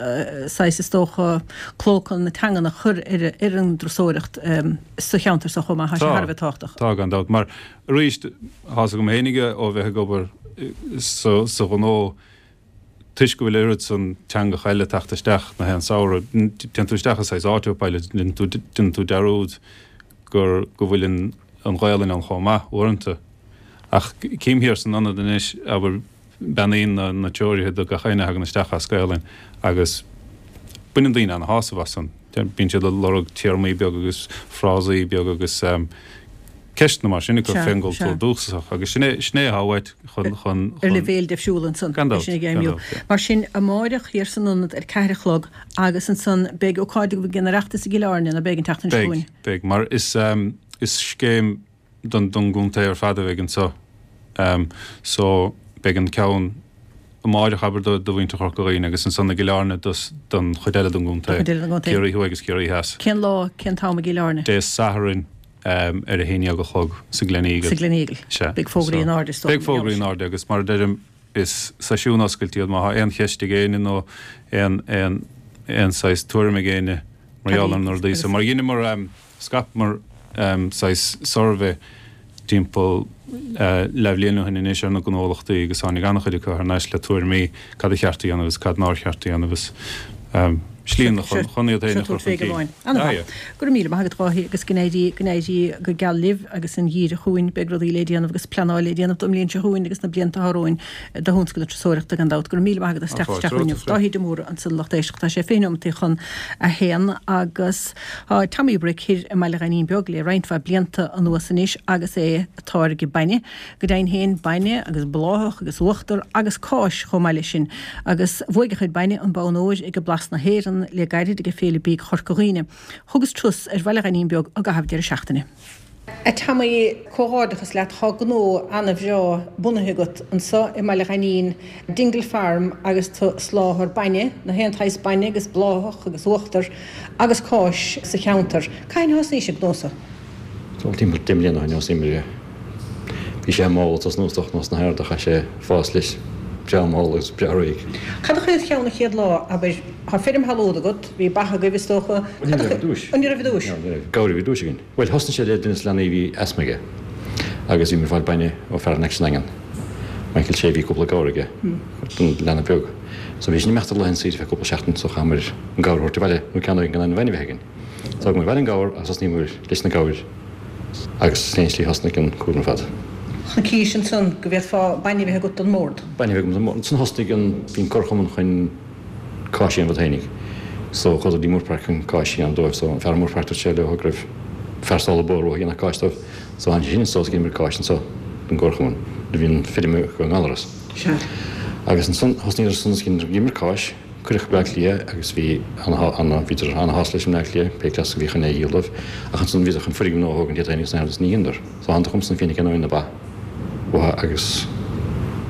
saghas, is dócha, clóca na teangan a chur ar, ar an dturasóireacht sa cheantar so chomh maith. Tá sé thar a bheith tábhachtach. Tá, gan dabht. Mar, arís, tá's agam fhéinig ó bheith ag obair sa, sa ghnó, toisc go bhfuil oiread san teangacha eile ag teacht isteach na haon samhradh, téann tú isteach i saghas autopilot, déanann tú, déanann tú dearúd gur, go bhfuil an, an Ghaelainn ann chomh maith, uaireanta. Ach cím thiar san ionad anois, abair, beannaíonn na na treoraithe do gach éinne a thagann isteach as Gaelainn agus baineann daoine ana-shásamh as san. Bíonn siad ag lorg téarmaí beaga agus frásaí beaga agus ceisteanna mar sin acu fén gcultúr dúchasach agus sin é sin é atá uait chun chun Ar leibhéal difriúil ansan, Gan é dabht, sin ag gan feidhmiú. dabht, yeah. Mar sin, amáireach thiar san ionad ar ceathair a chlog agus ansan beidh ócáid agaibh ag an Oireachtas i gCill Airne, ná beidh an tseachtain seo Beidh, chugainn? beidh, mar is is scéim don don gcontae ar fad a bheidh anseo. So beidh an ceann amáireach, abair, do do mhuintir Chorca Dhuibhne agus ansan i gCill Airne dos don chuid eile den gcontae, Don chuid eile den gcontae. Ciarraí Thuaidh agus Ciarraí Theas. Cén lá, cén t-am i gCill Airne? Dé Sathairn ar a haon dhéag a chlog sa Gleneagle. Sa Gleneagle. Sea. Beidh fógraí in airde, is dócha, Beidh fógraí in airde agus mar a deirim is seisiún oscailte iad má thá aon cheist ag éinne nó aon aon aon saghas tuairim ag éinne mar gheall ar na rudaí so. Mar dheineamar Scaipmear saghas suirbhé timpeall leathbhliain ó shin anois ar na gnólachtaí agus tháinig an-chuid acu thar n-ais le tuairimí cad a cheart a dhéanamh agus cad nár cheart a dhéanamh agus slíanna chun iad féin a chur chun cinn. An-mhaith. Go raibh míle maith agat, a Dháithí, agus go n-éirí go n-éirí go geal libh agus an gheimhreadh chugainn. Beidh rudaí le déanamh agus pleanáil le déanamh don mbliain seo chugainn agus na blianta atá romhainn do thionscal na turasóireachta gan dabht. Go raibh míle maith agat as teacht isteach chugainn inniu. Dáithí de Mórdha ansan lucht éisteachta. Tá sé fiche nóimeataí chun a haon agus tá Tommy Brick thoir i mBaile Ghainín Beag le roinnt mhaith blianta anuas anois agus é ag táirgeadh bainne, go deimhin féin, bainne agus bláthach agus uachtar agus cáis chomh maith leis sin. Agus bhuaigh a chuid bainne an bonn óir ag Blas na hÉireann le gairid ag Féile Bídh Chorca Dhuibhne. Thugas turas ar Bhaile Ghainín Beag i gcaitheamh deireadh seachtaine. A Tommy, comhghairdeachas leat, tá gnó ana-bhreá bunaithe agat anso i mBaile Ghainín, Dingle Farm agus tú ag soláthar bainne, na haon tsaghas bainne agus bláthach agus uachtar agus cáis sa cheantar. Cathain a thosnaís an gnó so? Bhuel, timpeall deich mbliana ó shin a thosnaíomar é. Bhí sé mall ag tosnú is dócha nós na hArda, chaith sé fás leis breá mall agus breá réidh. Cad a chuir id cheann an chéad lá, abair, tá feirm thalún agat, bhí ba agaibh is dócha, Ní cad a raibh ar chuir, dtúis. an raibh ar dtúis? Ní raibh, gabhair a bhí ar dtúis againn. Bhuel, thosnaigh sé le duine de na leanaí a bhí asma aige agus bhíomar ag fáil bainne ó fear in aice sa nDaingean Michael Sé bhí cúpla gabhar aige don leanbh beag. So bhí sin imeachta le an saoire feadh cúpla seachtain so chaitheamar an gabhar a thabhairt abhaile nó ceann againn gan an bhainne bheith againn. So thug muid abhaile an gabhar agus thosnaíomar leis na gabhair agus sin é an tslí thosnaigh an cúram ar fad. Chonacís ansan go bhféadfá bainne a bheith agat don mbord. Bainne a bheith agam don mbord. Ansan thosnaigh an, bhí an Comharchumann chun cáis a dhéanamh fhéinig. So chuadar dtí Moorepark chun cáis a dhéanamh dóibh. So an fear i Moorepark dúirt sé leo go raibh fear sála bó uathu a dhéanfadh cáis dóibh. So tháinig sé sin anso is dheineamar cáis anso don gComharchumann nuair a bhí an feirm i nGallaras. Sea. Agus ansan thosnaíodar san is dheineamar cáis, cuireadh go Bleá Cliath agus bhí ana, bhíodar ana-shásta leis i mBleá Cliath, pé cleas a bhí chun é a dhíol dóibh, ach ansan bhíodar chun foirgneamh nua a thógaint iad féin agus agus ní dheineadar. So thánadar chugamsa an fírinne ceann na ba uathu agus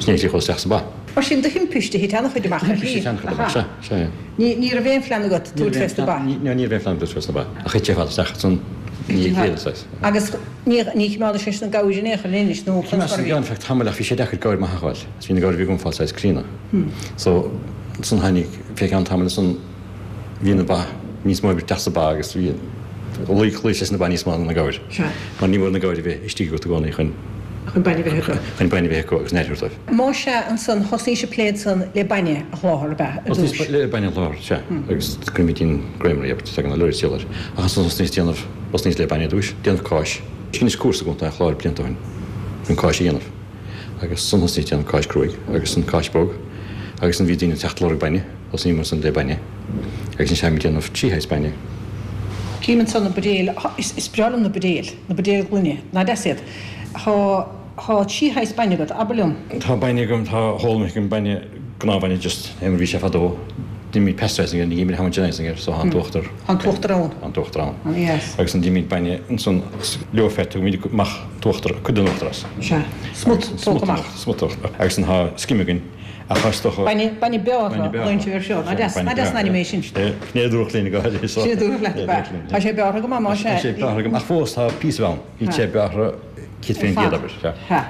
sin é an tslí a chuas isteach sa ba. Mar sin de thimpiste thit an-chuid amach ar shlí. Thimpiste thit an-chuid amach, sea, sea, yeah. Ní, ní raibh aon phlean agat tabhairt fés na ba? Ní, ní raibh aon phlean tabhairt fés na ba, ach thit sé ar fad isteach ansan ní bhíodh saghas. Agus ní, ní chimeádais sé na gabhair in aon chor in Inis nó Choimeád chun san gceann feadh tamaill ach bhí sé deacair gabhair maith a fháil, is bhí na gabhair a bhí agam fáil saghas críonna. So, ansan tháinig, fé cheann tamaill ansan bhí na ba níos mó oibre isteach sa ba agus bhí, luigh, luigh sé sna ba níos mó ná na gabhair. Sea. Mar ní mór na gabhair a bheith istigh agat i gcónaí chun. Chun bainne a bheith acu. Chun bainne a bheith acu agus an aire a thabhairt dóibh. Más ea, ansan, thosnaís ag plé ansan le bainne a sholáthar, ab ea, ar dtús? Thosnaíos le bainne a sholáthar, sea, agus cuirimid in Creamery, abair, tagann na lorries díol air. Ach ansan thosnaíos déanamh, thosnaíos le bainne ar dtús, déanamh cáis. Dheineas cúrsa i gContae an Chláir blianta ó shin chun cáis a dhéanamh. Agus ansan thosnaíos déanamh cáis cruaidh agus an cáis bog. Agus ansan bhí daoine ag teacht ag lorg bainne, thosnaíomar ansan le bainne. Agus anois táimid ag déanamh trí shaghas bainne. Cím ansan na buidéil, is breá liom na buidéil, na buidéil gloine, nach deas iad? Tá, tá trí shaghas bainne agat, abair liom. Tá bainne agam, tá whole milk agam, bainne, gnáthbhainne just é mar bhí sé fadó. Deinimid pasteurizing air, ní dhéanaimid homogenizing air, so tá an t-uachtar. Tá an t-uachtar ann. Tá an t-uachtar ann. An-dheas. Agus an deinimid bainne ansan low fat, tugaimid amach an t-uachtar, cuid den uachtar as. Sea. Smut tógtha amach. Smut tógtha. Agus an tá skim againn. Ach is dócha. Bainne, bainne bearrtha, luíonn air seo. Nach deas, nach deas an ainm é sin. Sin é a dúradh linn go háirithe. Sin é a dúradh leat, ab ea? Tá sé bearrtha go maith, más ea. Tá sé bearrtha go maith, ach fós tá píosa ann. Níl sé bearrtha céad faoin gcéad, abair.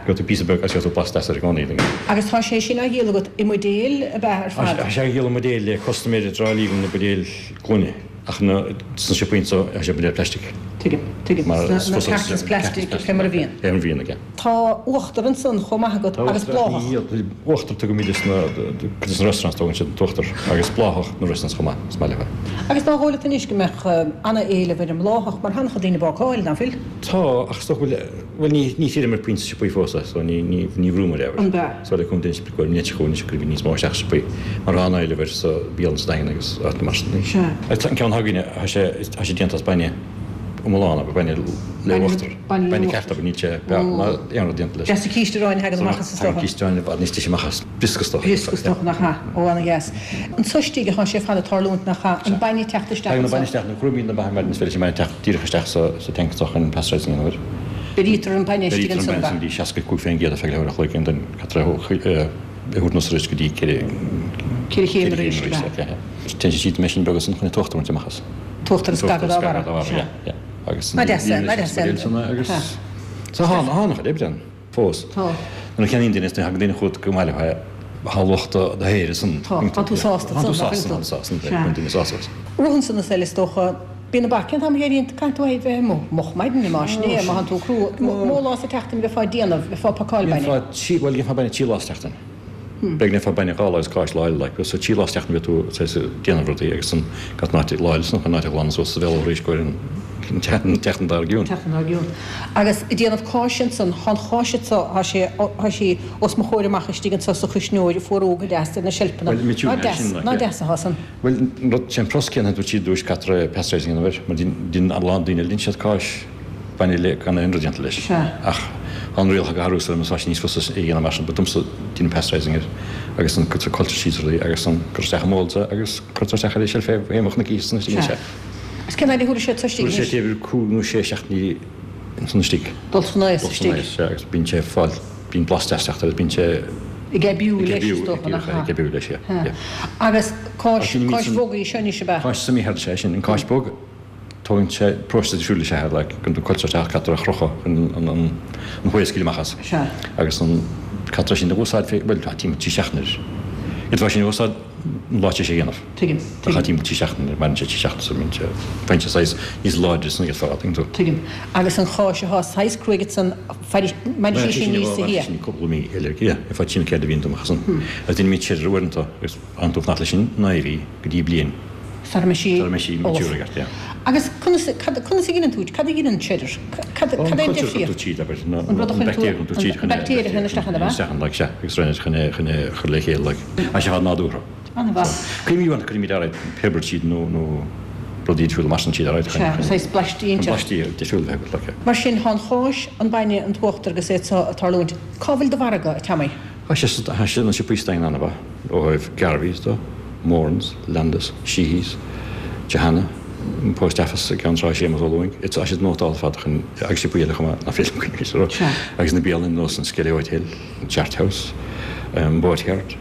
Gheobhaidh tú píosa beag agus gheobhaidh tú blas deas air i gcónaí. Agus tá sé sin á dhíol agat i mbuidéil, ab ea, ar fad? Tá sé á dhíol i mbuidéil le custaiméirí i dTrá Lí agam na buidéil gloine, ach na, sna siopaí anseo, tá sé i mbuidéil plaistic. Tuigim, tuigim. Sna cartons plastic, fé mar a bhíonn. Fé mar a bhíonn aige. Tá uachtar ansan chomh maith agat agus bláthach. Uachtar tugaimid is na, cuid de na restaurants tógann siad an t-uachtar agus bláthach na restaurants chomh maith, is maith leo é. Agus ná dóigh leat anois go mbeadh ana-éileamh ar an mbláthach mar tá an-chuid daoine ag bácáil, ná fuil? Tá, ach is dócha go bhfuil, bhuel ní, ní thírim ar puinn sna siopaí fós é, so ní, ní, ní bhrúim ar é. An ea? So le cúnamh Dé go bhfuil nit chugainn anois go bhfuil níos mó isteach sna siopaí mar tá an-éileamh air sa bialann sa Daingean agus áiteanna mar sin. Sea. Agus an ceann atá againne, tá sé, tá sé déanta as bainne. iomlán, abair, bainne le uachtar, bainne ceart, abair, níl sé beag ná aon rud déanta leis. Deas na císte aráin a thagann amach as is dócha. Tagann císte aráin i bhfad níos deise amach as, briosca is dócha. Briosca is dócha, nach ea? Ó, ana-dheas. Anso istigh atá sé ar fad ag tarlúint, nach ea? An bainne ag teacht isteach Tagann an anso. bainne isteach, nuair a chrúimid na ba ar maidin is féidir leis an mbainne teacht díreach isteach sa sa tank anso chun pasteurizing a dhéanamh air. Beirítear an bainne istigh Beirítear an ansan, bainne ab ea? ansan go dtí seasca cúig faoin gcéad ar feadh leathuair a chloig and then caitear é a thabhairt anuas arís go dtí ceithre Ceithre chéim ceithre arís, chéim ab arís, ea? yeah. Téann sé tríd an meaisín beag ansan chun an t-uachtar a bhaint amach as. T-uachtar a scagadh dá bharra. Sea. Agus Ná deas é, ná deas é. Agus tá tá an-chuid oibre ann fós. Tá. Nuair a cheannaíonn duine is nuair a thagann duine chugat go maith leo tá luach do shaothair ansan. Tá, tá tú sásta Tá tú sásta, tá tú sásta, tá duine sásta. Rud ansan is eile is dócha, bíonn na ba, cén t-am a éiríonn, caithfidh tú a bheith amuigh moch maidine más sin é, má thánn tú crua, mó lá sa tseachtain a bheifeá ag déanamh, bheifeá ag pacáil bainne. Dhéanfá trí, bhuel dhéanfá bainne trí lá sa tseachtain. B'fhéidir go ndéanfá bainne dhá lá agus cáis lá eile like so trí lá sa tseachtain bheadh tú saghas ag déanamh rudaí agus an gach an áit lá eile san chun an áit a ghlanadh suas sa bhéal arís go an tseachtain dár gcionn. Tseachtain dár gcionn. Agus ag déanamh cáise ansan, tá an cháis anso, tá sé, tá sí os mo chomhair amach istigh anso sa chuisneoir ag fuarú go deas ar na seilfeanna. Bhuel, Ná mitiú deas, sin like ná yeah. deas atá san. Bhuel, an rud, sé an próiseas céanna a dúirt siad ar dtúis caithfear pasteurizing a dhéanamh air mar dhein a lán daoine dhein siad cáis bainne le gan aon rud déanta leis. Sea. Ach tá an rialacha ag athrú so tá sé níos fusa é a dhéanamh mar sin, but domsa deinim pasteurizing air agus an cuirtear culture cheese rudaí agus an cuir isteach i molds é agus cuirtear isteach ar an seilf é bheadh na císte san istigh Sea. sea. Agus cén fhad a thabharfaidh sé anso istigh Tabharfaidh sé anois? b'fhéidir cúig nó sé seachtainí ansan istigh. Dul san aos Dul san istigh. aos, sea, agus bíonn sé ag fáil, bíonn blas deas ag teacht air agus bíonn sé Ag aibiú ag leis aibiú, is dócha, ag nach aibiú, ea? ag aibiú leis, yeah, Sea. yeah. Agus cáis, Ach sin cáis san- bhog í seo anois ab ea? Cáis semi-hard is ea sin, an cáis bhog. Tógann sé próiseas difriúil is ea like chun culture a caithfear a chrochadh chun an an an whey a scaoileadh amach as. Sea. Agus an caithfear sin a úsáid fé, bhuel, tá timpeall trí seachtaine air. D'fhéadfá sin a úsáid an lá sé a dhéanamh. Tuigim. Tá cha timpeall trí seachtaine, maireann sé trí seachtaine so bíonn sé, faigheann sé saghas níos láidre san agus fad, tuigeann tú. Tuigim. Agus an cháis atá saghas cruaidh ansan, mairfidh sí sin níos Mairfidh yeah. sin cúpla mí eile, yeah, ar feadh trí nó ceithre mhí amach ansan. Agus déanaimid cheddar uaireanta agus fhanann tú fanacht leis sin naoi mhí go dtí bliain. Sara mbeidh sí Sara mbeidh sí mature ullamh. agat, yeah. Agus conas, cad, conas a ghineann tú, cad a ghineann cheddar? Cad, An cad é an culture difríocht? a chuir tú tríd, abair, na, An rud a an chuireann tú, baictéir a chuireann tú tríd an chun é, baictéir a chuireann isteach ann, ab ea? isteach ann, like, sea, agus rinne chun é, chun é a chur le chéile, like. Tá sé nádúrtha. An-mhaith. Cuirimid uaireanta, cuirimid ar aghaidh piobar tríd nó, nó rudaí difriúla mar sin tríd ar aghaidh chun, Sea, chun, saghas blaistí chun inteacht. blaistí difriúla a bheith agat, like. Mar sin, tá an cháis, an bainne, an t-uachtar agus é seo ag tarlúint. Cá bhfuil do mhargadh, a Tommy? Tá sé, tá sé na siopaí sa Daingean an-mhaith, ó thaobh Garvey's de, Moran's, Landis, Sheehy's, Johanna, an Post Office i gCeann Trá Séamus Ó Lúing, tá siad nótálta ar fad chun agus siopaí eile chomh maith nach féidir liom cuimhneamh orthu. Sea. Agus na bialanna nós an Skelly Hotel, an Chart House, an Boatyard,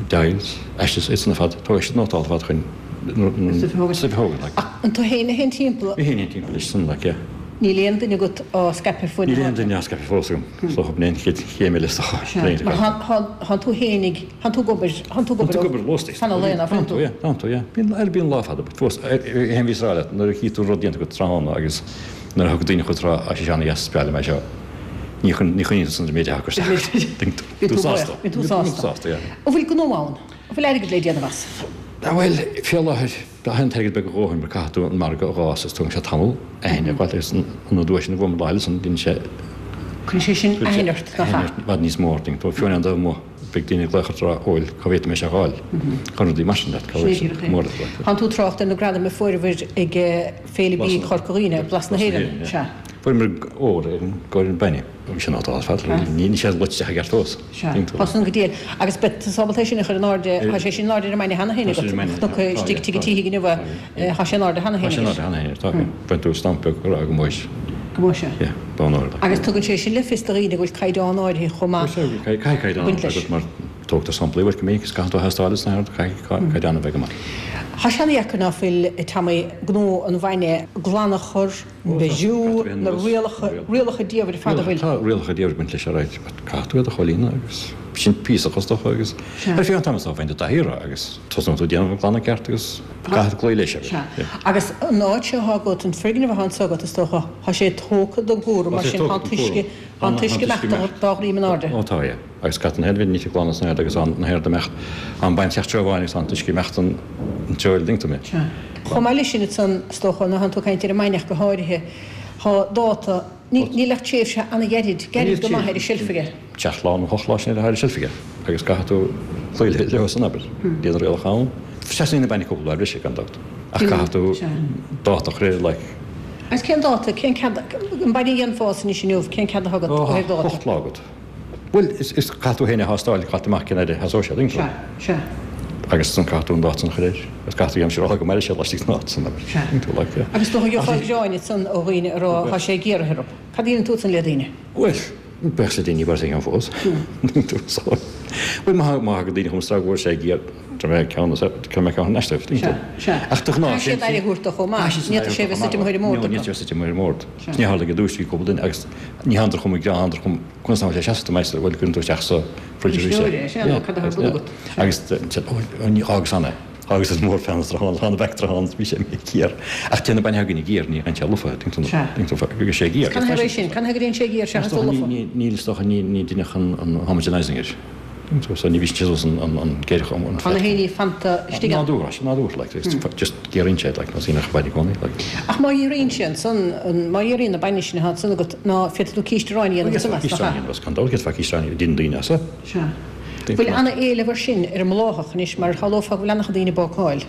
Doyle's, Ashes, iad san ar fad, tá siad nótálta ar fad chun Stuif a thógaint. stuif a thógaint, like. Ach an tú féin a théann timpeall? Mé féin a théann timpeall leis san, like, yeah. Níl aon duine agat á scaipeadh ar fud Níl na aon háite? duine á scaipeadh fós agam, is dócha b'in é an chéad chéim eile is dócha. Sea, mar thánn tú fhéinig, thánn tú ag obair, thánn tú ag Thánn tú ag obair obair lóstaí. fan an lae, ná fuil Thánn tú, tú? yeah, thánn tú, yeah. Bíonn, ar bíonn lá fada, but fós, aon bhíos rá leat, nuair a chí tú rud déanta agat tráthnóna agus nuair a thug daoine chugat rá, á sé seo ana-dheas, is breá liom é seo, ní chun, ní choinníonn tú san méid a thacair isteach. Bíonn Bíonn tú tú sásta. buíoch, bíonn tú sásta. Sásta, yeah. An bhfuil gnó ann? An bhfuil airgead le déanamh as? Bhuel, fé láthair, tá an t-airgead beag a dhóthain mar caithfidh tú an margadh a dh'fhás is tógann sé tamall aithne a fháil agus an uair sin a bhuail lá san bíonn sé Cuireann sé sin aithne ort, nach ea? i bhfad níos mó ort, tú fiú an amuigh beidh daoine ag glaoch ort a rá bhuel cá bhféadfaidh mé sé a fháil chun rudaí mar sin leat cá bhfuil sé mór leat like. Thánn tú ag trácht ar na gradaim a fuaireabhair ag Féile Bídh Chorca Dhuibhne, Blas na hÉireann, sea. Fuaireamar ór ar an gcomhair an bainne. Bhí sé ná fad, ní sé loite i gceart fós. Sea, tá san go diail. Agus beidh tú ábalta é sin a chur in airde, tá sé sin in airde ar an mbainne cheana féin agat, cnoc istigh tigh an tSíthigh inniu, tá sé in airde cheana Tá féin sé in agat. airde cheana féin, tá. Bhain tú stampa beag a rá go mbeidh. Go mbeidh sé. Yeah, bonn óir. Agus tugann sé sin le fios do dhaoine go bhfuil caighdeán áirithe chomh maith. Caithfidh caighdeán Baint leis. agat mar tógtar samplaí uait go minic is caithfidh tú a thástáil is na caithfidh caighdeán a bheith go maith. Tá sé an-dheacair ná fuil Tommy gnó an bhainne glan a chur, beidh na rialacha rialacha diamhair fada bhfuil. Tá rialacha diamhair baint leis ar aghaidh, caithfidh tú iad a chomhlíonadh agus sin píosa costach agus ar feadh an t-am is dá bhfeidhm do thaithí agus tosnóidh tú déanamh an glanadh ceart agus caithfidh cloí leis. Sea. Agus an áit seo atá agat, an foirgneamh atá anseo agat is dócha, tá sé tógtha don gcúram mar sin tá an t-uisce tá an t-uisce imeacht dá dhroim in airde. Ó tá é. Agus cat an headbhid ní glan san agus an na héir imeacht an bain teach amháin agus an t-uisce imeacht an an treo ding tú mé. Sea. Chomh maith leis sin ansan is dócha ná tú caint ar an mbainne ach go háirithe, tá dáta níl ach tréimhse an-ghairid, gairid go maith ar an seilf aige. Seacht lá nó hocht lá sin ar an seilf aige agus caithfidh tú cloí leo san abair. Bíonn rialacha ann. Seasann na bainne cúpla lá breise gan dabht. Ach caithfidh tú dáta a chur like. Agus cén dáta, cén cead, an bainne a dhéanfá anois inniu, cén cead atá agat ó thaobh dáta? Hocht lá agat. Bhuel, is is caithfidh tú féin a thástáil, caithfidh amach cén fhad a sheasóidh sé, Sea, sea. Agus san caithfidh tú an dáta san a chur air. Agus caithfidh tú aimsir a fháil go mairfidh sé laistigh den dáta san abair. Sea. Tuigeann tú, like, yeah. Agus dócha gheofá gearáin ansan ó dhaoine a rá tá sé géaraithe orthu. Cad a dhéanann tú ansan le daoine? Bhuel, bheadh sé daoine barr ag an fós. Tuigeann tú, so. Bhuel, má má thagann daoine chugam is rá go bhfuil sé géar, tá mé ceann as ceann mé ceann an aisteoir, tuigeann tú. Sea, sea. Ach de ghnáth, Caithfidh siad aire a thabhairt dó chomh maith. Caithfidh siad Ní fhéadfadh sé a bheith suite amuigh ar an mbord Ní acu. fhéadfadh sé suite amuigh ar an mbord. Sea. Ní tharla go dtús bhí cúpla duine agus ní thándar chum ag thándar chum conas ná sé seasta meister bhfuil cuireann tú isteach sa fridge arís é. Fridge é, sea, nó cad atá ar bun agat. Agus ó ní agus ann é. Agus is mór fean tráthnóna, tá na beic tráthnóna, bhí sé mé géar. Ach téann na bainne againn géar, ní an sé lofa, tuigeann tú, Sea. tuigeann tú, go sé géar. Can é sin, can go dtéann sé géar seachas dul lofa? Níl is dócha ní ní duine chun an homogenizing air. Tuigeann tú, so ní bhí sé an an an géar an Tá na héiní fanta istigh ann. Nádúr, nádúr, like, just géaríonn sé, like, nó síneach bainne i gcónaí, like. Ach má ghéaraíonn sé ansan, má ghéaraíonn na bainne sin atá ansan agat, ná féadfaidh tú císte aráin a dhéanamh ansan as, nach ea? Císte aráin a dhéanamh as, gan dabht, féadfá císte aráin a dhéanamh daoine as, eh? Sea. Bhfuil ana-éileamh ar sin ar an mbláthach anois mar shamhlófá go bhfuil an-chuid daoine ag bácáil?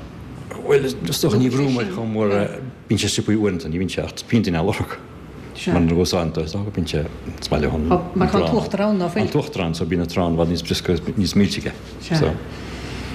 Bhuel, is dócha ní bhrúim air chomh mór, bíonn sé siopaí uaireanta, ní bhíonn sé ach bíonn daoine á lorg. Sea. Mar nuair a úsáideann tú, is dócha bíonn sé, is maith leo an Tá, mar tá an an t-uachtar ann, ná fuil? An t-uachtar ann, so bíonn an t-arán i bhfad níos briosca, níos milse aige. Sea. So.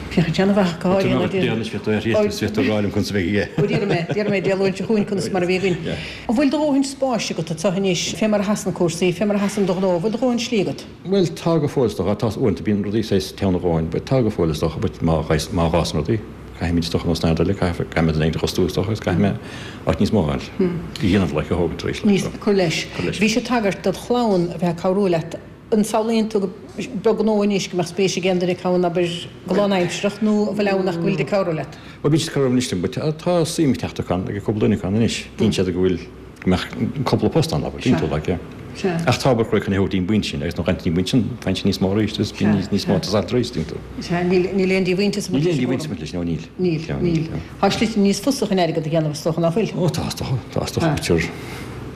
Féach, déanamh go háirithe Tá mé ag déanamh, féach tú ar thíos, féach tú ag rá liom conas a bheidh aige. Ó, déarfaidh mé, déarfaidh mé Dé Luain seo chugainn conas mar a bhí againn. Yeah. An bhfuil do dhóthain spáis agat anseo anois, fé mar a sheasann cúrsaí, fé mar a sheasann do ghnó, an bhfuil do dhóthain slí agat? Bhuel, tá go fóill is dócha, tá uaireanta bíonn rudaí saghas teann a dhóthain, but tá go fóill is dócha, but má ghais, má ghásann rudaí, caithfimid is dócha nós náid eile, caithfidh, caithfidh mé duine éigin a fhostú is dócha, agus caithfidh mé áit níos mó a fháil. A dhéanamh, like, a thógaint tar éis, like, Níos, so. cur leis. Cur leis. Bhí sé tagairt dod chlann a bheith ag cabhrú leat An samhlaíonn tú go beag gnó anois go mbeadh spéis ag aon duine acu ann, abair, go lánaimsearach nó an bhfuil ann ach go bhfuil ag cabhrú leat? Bhuel, bíonn siad ag cabhrú anois liom, but tá suim ag teacht acu ann, ag cúpla duine acu ann anois. Bíonn siad go bhfuil, go mbeadh cúpla post ann, abair, bíonn tú like, yeah. Sea. Ach tá obair chruaidh chun é a thabhairt dtí'n bpointe sin agus nuair a ghabhann tú dtí'n bpointe sin, faigheann sé níos mó arís agus bíonn níos, níos mó ag teastáil arís, bíonn tú. Sea, níl, níl aon díomhaointeas ag baint Níl leis aon an díomhaointeas gcúram. ag baint leis, no, níl. Níl, No, níl. níl, no. Tá slite níos fusa chun airgead a dhéanamh is dócha, ná fuil? Ó, tá, is dócha, tá, is dócha, Tá. b'fhéidir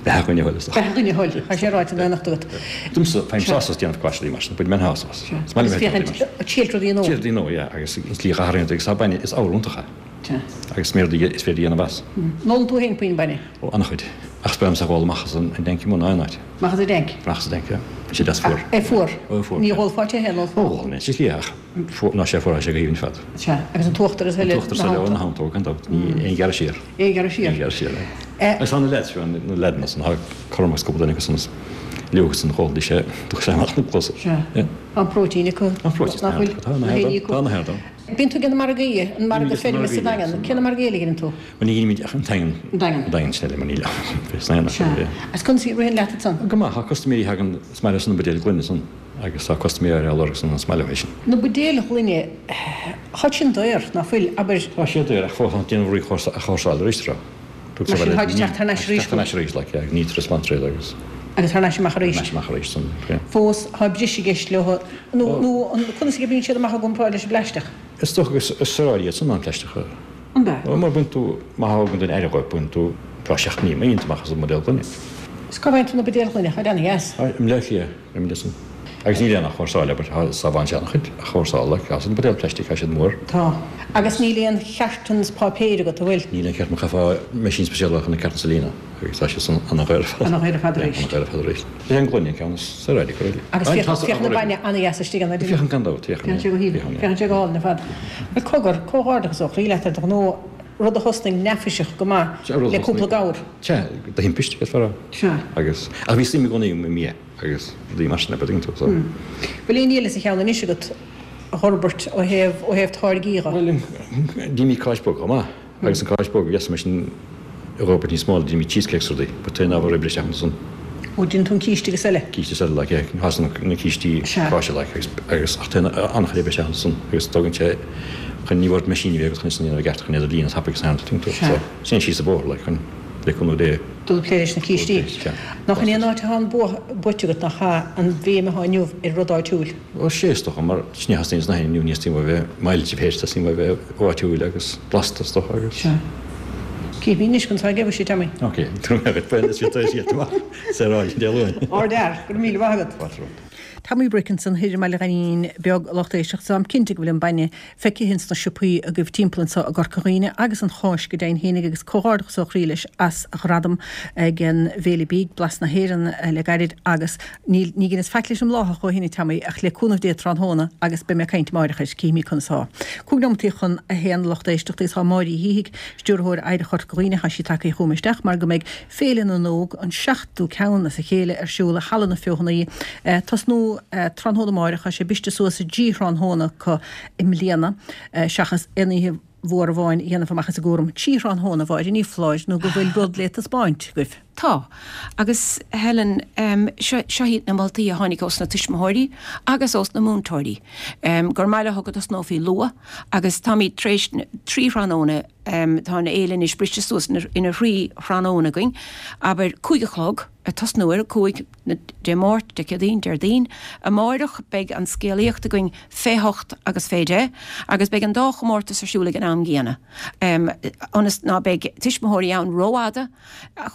beatha dhuine a thoil, is dócha. Beatha dhuine a thoil, tá sé ráite in éineacht agat. Domsa, faighim Sea. sásamh as déanamh cáise mar sin, bain mé an sásamh as. Sea. Is maith liom Agus a bheith ag féachaint, déanamh mar sin. triail rudaí nua. Triail rudaí nua, yeah, agus an tslí a athraíonn agus tá bainne, is ábhar iontach é. Sea. Agus is méid is féidir a dhéanamh as. An ólann tú féin puinn bainne? Ó, an-chuid. Ach is breá liomsa a dhul amach as an dtanc i mbun aon áit. Amach as an dtanc? Amach as an dtanc, yeah. Bíonn sé deas fuar. É fuar? Ó, é fuar. Ní dhólfá te féin, ólfá? Ó, dhólfainn é, sa tslí ach fuar, ná sé fuar, tá sé go haoibhinn fad. Sea, agus an t-uachtar is eile An t-uachtar is eile, ó, ina theannta, ó, gan dabht. Ní aon ghearradh siar. Aon ghearradh siar. Aon ghearradh siar, é. Agus tá na leaids, fiú, na leaideanna san, tá cothrom agus cúpla duine acu san is leo san dhólfaidís é, dúch sé amach na cluasa. Sea. Yeah. Tá an próitéin acu. Tá an próitéin, Nach bhfuil? tá, tá, Na héirí acu. tá na héirí. Bíonn tú ag déanamh margaí, an margadh Bíonn feirme sa margaí, Daingean. Cé na margaí eile a dhéanann tú? Bhuel, ní dhéanaimid ach an Daingean. An Daingean. An Daingean sin eile, mar níl ach san aon Sea. áit. Agus conas a ritheann leat ansan? Go maith, tá custaiméirí a thagann, is maith leo san na buidéil gloine san agus tá custaiméirí á lorg san, is maith leo é sin. Na buidéil ghloine, tá sin daor, ná fuil? Abair. Tá siad daor ach fós tá déanamh rudaí a chúrsáil arís tráth. Mar sin, táid ag teacht thar n-ais arís. Teacht thar n-ais arís, like, yeah, nítear is glantréad agus. Agus thar n-ais amach arís. Thar n-ais amach arís san, yeah. Fós, tá breis i gceist leo, nó, nó an, conas a oibríonn siad amach i gcomparáid leis an bplaisteach? Is dócha gur saoráidí iad san ná an plaisteach. An ea? Bhuel, mar baineann tú, má thagann duine aire dhóibh, baineann tú dhá seacht mí, iontach amach as an mbuidéal gloine. Is cá bhfaigheann tú na buidéil ghloine? Tá ana-dheas. I mBleá Cliath, i mBleá san. Agus níl aon athchúrsáil, abair, tá sábhálann sé an-chuid athchúrsála, like, as an buidéal plaistigh, tá siad mór. Tá. Agus níl aon cartons páipéir agat, an bhfuil? Níl aon charton, chaithfeá meaisín speisialta chun na cartons a líonadh agus tá siad san ana-dhaor ar fad. Ana-dhaor ar fad arís. Yeah, ana-dhaor ar fad arís. Is é an gloine an ceann is saoráidí, go réidh. Agus féachann an bainne ana-dheas istigh ann, Féachann gan dabht, féachann. Féachann sé go haoibhinn, féachann sé go hálainn ar fad. Bhuel, cogar, comhghairdeachas ó chroí leat ar do ghnó, rud a thosnaigh neafaiseach go maith le cúpla gabhar. Sea, de thimpiste, is fearr. Sea. Agus, ach bhí suim i gcónaí agam i mbia agus rudaí mar sin, a dtuigeann tú, so. Bhfuil aon ní eile sa cheann anois agat a fhorbairt ó thaobh, ó thaobh táirgí dhe? Bhuel, déanaimid cáis bhog chomh maith agus an cáis bhog, yes, mar sin a fhorbairt níos mó, déanaimid cheesecakes rudaí, but téann ábhar oibre isteach ansan. Ó, déanann tú an císte agus eile? Císte is eile, like, yeah, thá san na cístí cáise, like, agus, agus, ach téann an-chuid oibre isteach ansan agus tógann sé, chun ní bhord meaisíní a bheith agat chun sin a dhéanamh i gceart, chun iad a líonadh tapaidh agus an, tuigeann tú, so, sin síos an bóthar, like, chun, le cúnamh Dé. Dul ag plé leis na cístí. Nach in é an áit atá an bua buaite agat, nach ea, an bhéim atá inniu ar rud áitiúil? Ó sea, is dócha, mar sin a theastaíonn sna haon inniu, ní theastaíonn uaidh bheith millte féin, teastaíonn uaidh bheith áitiúil agus blasta, is dócha, agus. Sea. Cífimid anois conas atá ag oibriú sé, Tommy. Ok, go raibh maith agat, bhuel, is fiú é sin amach, saoráil Dé Luain. Ardfhear, go raibh míle maith agat. Fáilte romhat. Tommy Brick ansan thoir i mBaile Ghainín Beag, a lucht éisteachta. Táim cinnte go bhfuil an bainne feicthe ins na siopaí agaibh timpeall anso i gCorca Dhuibhne agus an cháis go deimhin fhéinig agus comhghairdeachas ó chroí leis as a ghradam ag an bhFéile Bídh, Blas na hÉireann le gairid agus níl, ní dheineas faic leis an mbláthach ó shin a Tommy ach le cúnamh Dé tráthnóna agus beidh mé ag caint amáireach air, cífimid conas atá. Cúig nóimeataí chun a haon a lucht éisteachta agus tá Máire Uí Shíthigh, Stiúrthóir Oidhreacht Chorca Dhuibhne, tá sí tagtha chugam isteach mar go mbeidh Féile na nÓg, an seachtú ceann as a chéile, ar siúl i Halla na Feothanaí. Tosnú tráthnóna amáireach, tá sé briste suas i dtrí thráthnóna acu i mbliana, seachas aon oíche mhór amháin a dhéanamh amach as an gcúram. Trí thráthnóna, a Mháire, ní foláir nó go bhfuil rud le taispeáint agaibh. Tá. Agus Helen, seo seo iad na moltaí a tháinig ós na tuismitheoirí agus ós na múinteoirí, gur maith leo go dtosnófaí luath agus táimid tar éis trí thráthnóna, tá an fhéile anois briste suas ina thrí thráthnóna againn, abair cúig a chlog, ag tosnú ar a cúig, Dé Máirt, Dé Céadaoin, Déardaoin. Amáireach beidh an scéalaíocht againn fé hocht agus fé deich agus beidh an dá chomórtas ar siúl ag an am gcéanna ionas ná beidh tuismitheoirí ann rófhada.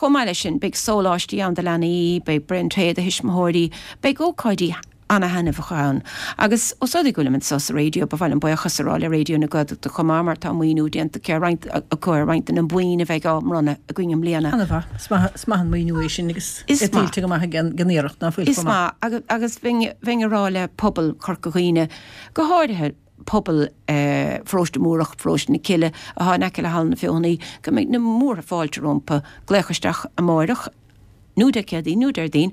Chomh maith leis sin beidh sóláistí ann do leanaí, beidh braon tae do thuismitheoirí, beidh ócáidí ana-thaitneamhacha ann. Agus os rud é go bhfuilim anseo sa raidió, ba mhaith liom buíochas a rá le Raidió na Gaeltachta chomh maith mar tá maoiniú déanta acu ar roinnt acu ar roinnt de na boinn a bheidh á mbronnadh againn i mbliana. Ana-mhaith. Is maith, is maith an maoiniú é sin agus Is é maith. tuillte go maith ag an iarracht, ná fuil Is chomh maith. maith. Agus, agus bheinn, bheinn ag rá le pobal Chorca Dhuibhne, go háirithe pobal Pharóiste Múrach, Pharóiste na Cille, atá in aice le Halla na Feothanaí, go mbeidh na múrtha fáilte rompu glaoch isteach amáireach, nó Dé Céadaoin nó Déardaoin,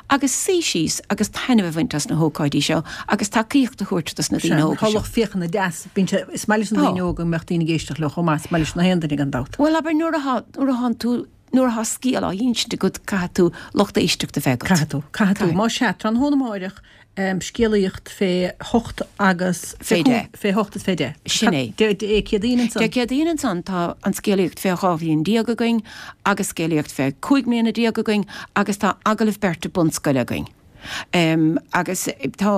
agus suí síos agus taitneamh a bhaint as na hócáidí seo agus tacaíocht a thabhairt dos na Sea, daoine óga tá seo. lucht féachana deas, bíonn sé, is maith leis na Tá. daoine óga go mbeadh daoine ag éisteacht leo chomh maith, is maith leis na haon duine gan dabht. Bhuel, abair, nuair atá, nuair atánn tú nuair atá scéal á insint agat caithfidh tú lucht éisteachta a bheith agat. Caithfidh tú, caithfidh tú. Más ea, tráthnóna amáireach, scéalaíocht fé hocht agus fé deich. Fé hocht is fé deich. Sin é. Dé Céadaoin ansan. Dé Céadaoin ansan tá an scéalaíocht fé dhá bhliain déag againn agus scéalaíocht fé cúig mbliana déag againn agus tá agallamh beirte bunscoile againn. Agus tá,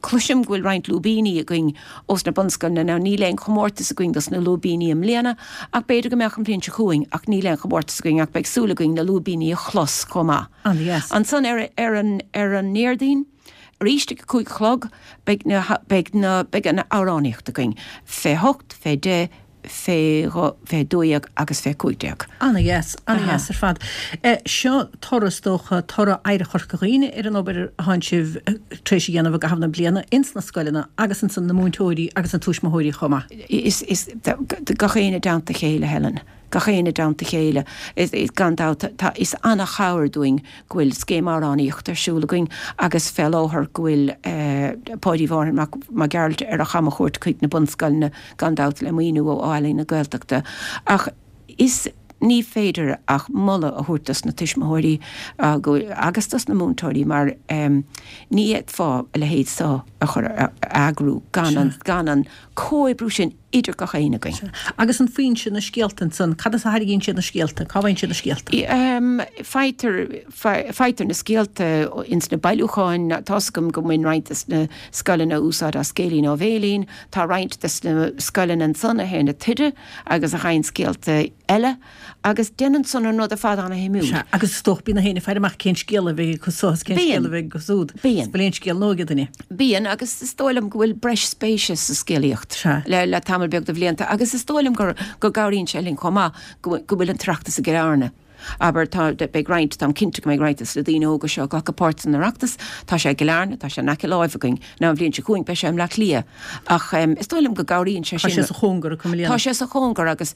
cloisim go bhfuil roinnt lúibíní againn ós na bunscoileanna. Now níl aon chomórtas againn dos na lúibíní i mbliana ach b'fhéidir go mbeadh an bhliain seo chugainn ach níl aon chomórtas againn ach beidh súil againn na lúibíní a chlos chomh maith. An-dheas. Ansan ar ar an ar an nDéardaoin, arís ag a cúig a chlog, beidh na beidh na beidh an amhránaíocht againn. Fé hocht, fé deich, fé dhó, fé dó dhéag agus fé cúig déag. An-dheas, an-dheas ar fad. Seo toradh, is dócha, toradh Oidhreacht Chorca Dhuibhne ar an obair a thánn sibh tar éis a dhéanamh i gcaitheamh na bliana ins na scoileanna agus ansan na múinteoirí agus na tuismitheoirí chomh maith. Is, is, gach éinne i dteannta a chéile, Helen. Gach éinne i dteannta a chéile. Gan dabht, tá, is ana-chabhair dúinn go bhfuil scéim amhránaíochta ar siúl againn agus fé láthair go bhfuil Páidí Mhárthain Mac Mac Gearailt ar a chamchuairt chuig na bunscoileanna, gan dabht le maoiniú ó Ealaín na Gaeltachta. Ach is, ní féidir ach moladh a thabhairt dos na tuismitheoirí agus dos na múinteoirí mar ní fhéadfá a leithéid so a chur, a eagrú gan an, gan an comhoibriú sin idir gach éinne againn. Sea. Agus an foinse, na scéalta ansan, cad as a tharraingíonn siad na scéalta? Cá bhfaigheann siad na scéalta? Faightear, faightear na scéalta ins na bailiúcháin. Tá's agam go mbaineann roinnt des na scoileanna úsáid as Scéilín ó Bhéilín. Tá roinnt des na scoileanna ansan a théann ag taighde agus a fhaigheann scéalta eile agus déanann san an rud ar fad ana-shuimiúil. Sea, agus is dócha bíonn na héinne ag faire amach cén scéal a bheidh acu so is cén scéal a bheidh acu súd. Bíonn. Is bhfuil aon scéal nua ag duine? Bíonn, agus is dóigh liom go bhfuil breis spéise sa scéalaíocht le le tamall beag de bhlianta agus is dóigh liom gur go gcabhraíonn sé linn chomh maith go go bhfuil an tOireachtas i gCill Airne. Abair, tá, beidh roinnt, táim cinnte go mbeidh roinnt de na daoine óga seo ag glacadh páirt san Oireachtas, tá sé i gCill Airne, tá sé in aice láimhe againn. Now an bhliain seo chugainn beidh sé i mBleá Cliath ach is dóigh liom go gcabhraíonn sé sin. Tá sé sa chóngar acu i mbliana. Tá sé sa chóngar agus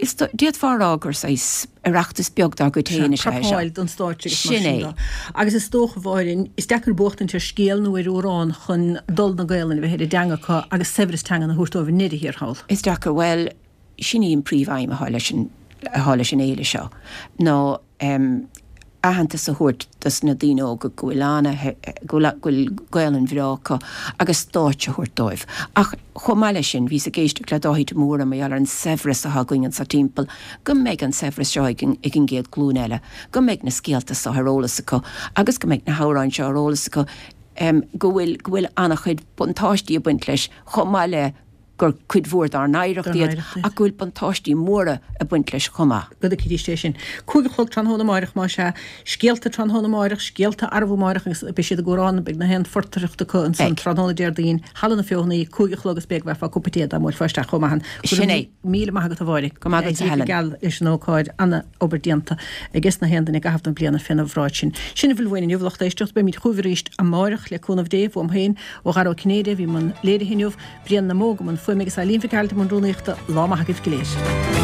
is d'fhéadfá a rá gur saghas Oireachtas beag dár gcuid féin is ea é seo. Prapáil don stáitse agus mar Sin sin é. de. Agus is dócha, a Mháirín, is deacair buachtaint ar scéal nó ar amhrán chun dul na Gaelainne a bheith ar a dteanga acu agus saibhreas teangan a thabhairt dóibh i ndeireadh thiar thall. Is deacair, bhuel, sin í an príomh-aidhm atá leis an, atá leis an fhéile seo, ná aitheantas a thabhairt dos na daoine óga go bhfuil ana, go bhfuil, go bhfuil Gaolainn bhreá acu agus stáitse a thabhairt dóibh. Ach chomh maith leis sin, bhíos ag éisteacht le Dáithí de Mórdha mar gheall ar an saibhreas atá againn anso timpeall, go mbeidh an saibhreas seo ag an, ag an gcéad ghlúin eile, go mbeidh na scéalta seo ar eolas acu agus go mbeidh na hamhráin seo ar eolas acu, go bhfuil, go bhfuil ana-chuid buntáistí ag baint leis chomh maith le gur cuid mhór dár n-oidhreacht iad ach go bhfuil buntáistí móra ag baint leis chomh maith. Go dtuigfidís é sin. Cúig a chlog tráthnóna amáireach, más ea. Scéalta tráthnóna amáireach, scéalta arbú amáireach agus beidh siad ag amhrán, beidh na haon phortaireacht acu ansan tráthnóna Déardaoin, Halla na Feothanaí, cúig a chlog is b'fhéidir go bhfaighfeá cupa tae dá mbuailfeá isteach chomh maith. Go Sin raibh é. míle maith agat a Mháire. Go maith agatsa Go Helen. geal leis an ócáid, ana-obair déanta ages na haon duine i gcaitheamh na bliana féna bhráid sin. Sin a bhfuil uainn inniu, lucht éisteachta. Beimid chugaibh arís amáireach le cúnamh Dé, uaim féin, ó Dhara Ó Cinnéide, a bhí i mbun léirithe inniu, Brian na mBó i mbun fuaime agus Eileen Mhic Gearailt i mbun rúnaíochta. Lá maith agaibh go léir.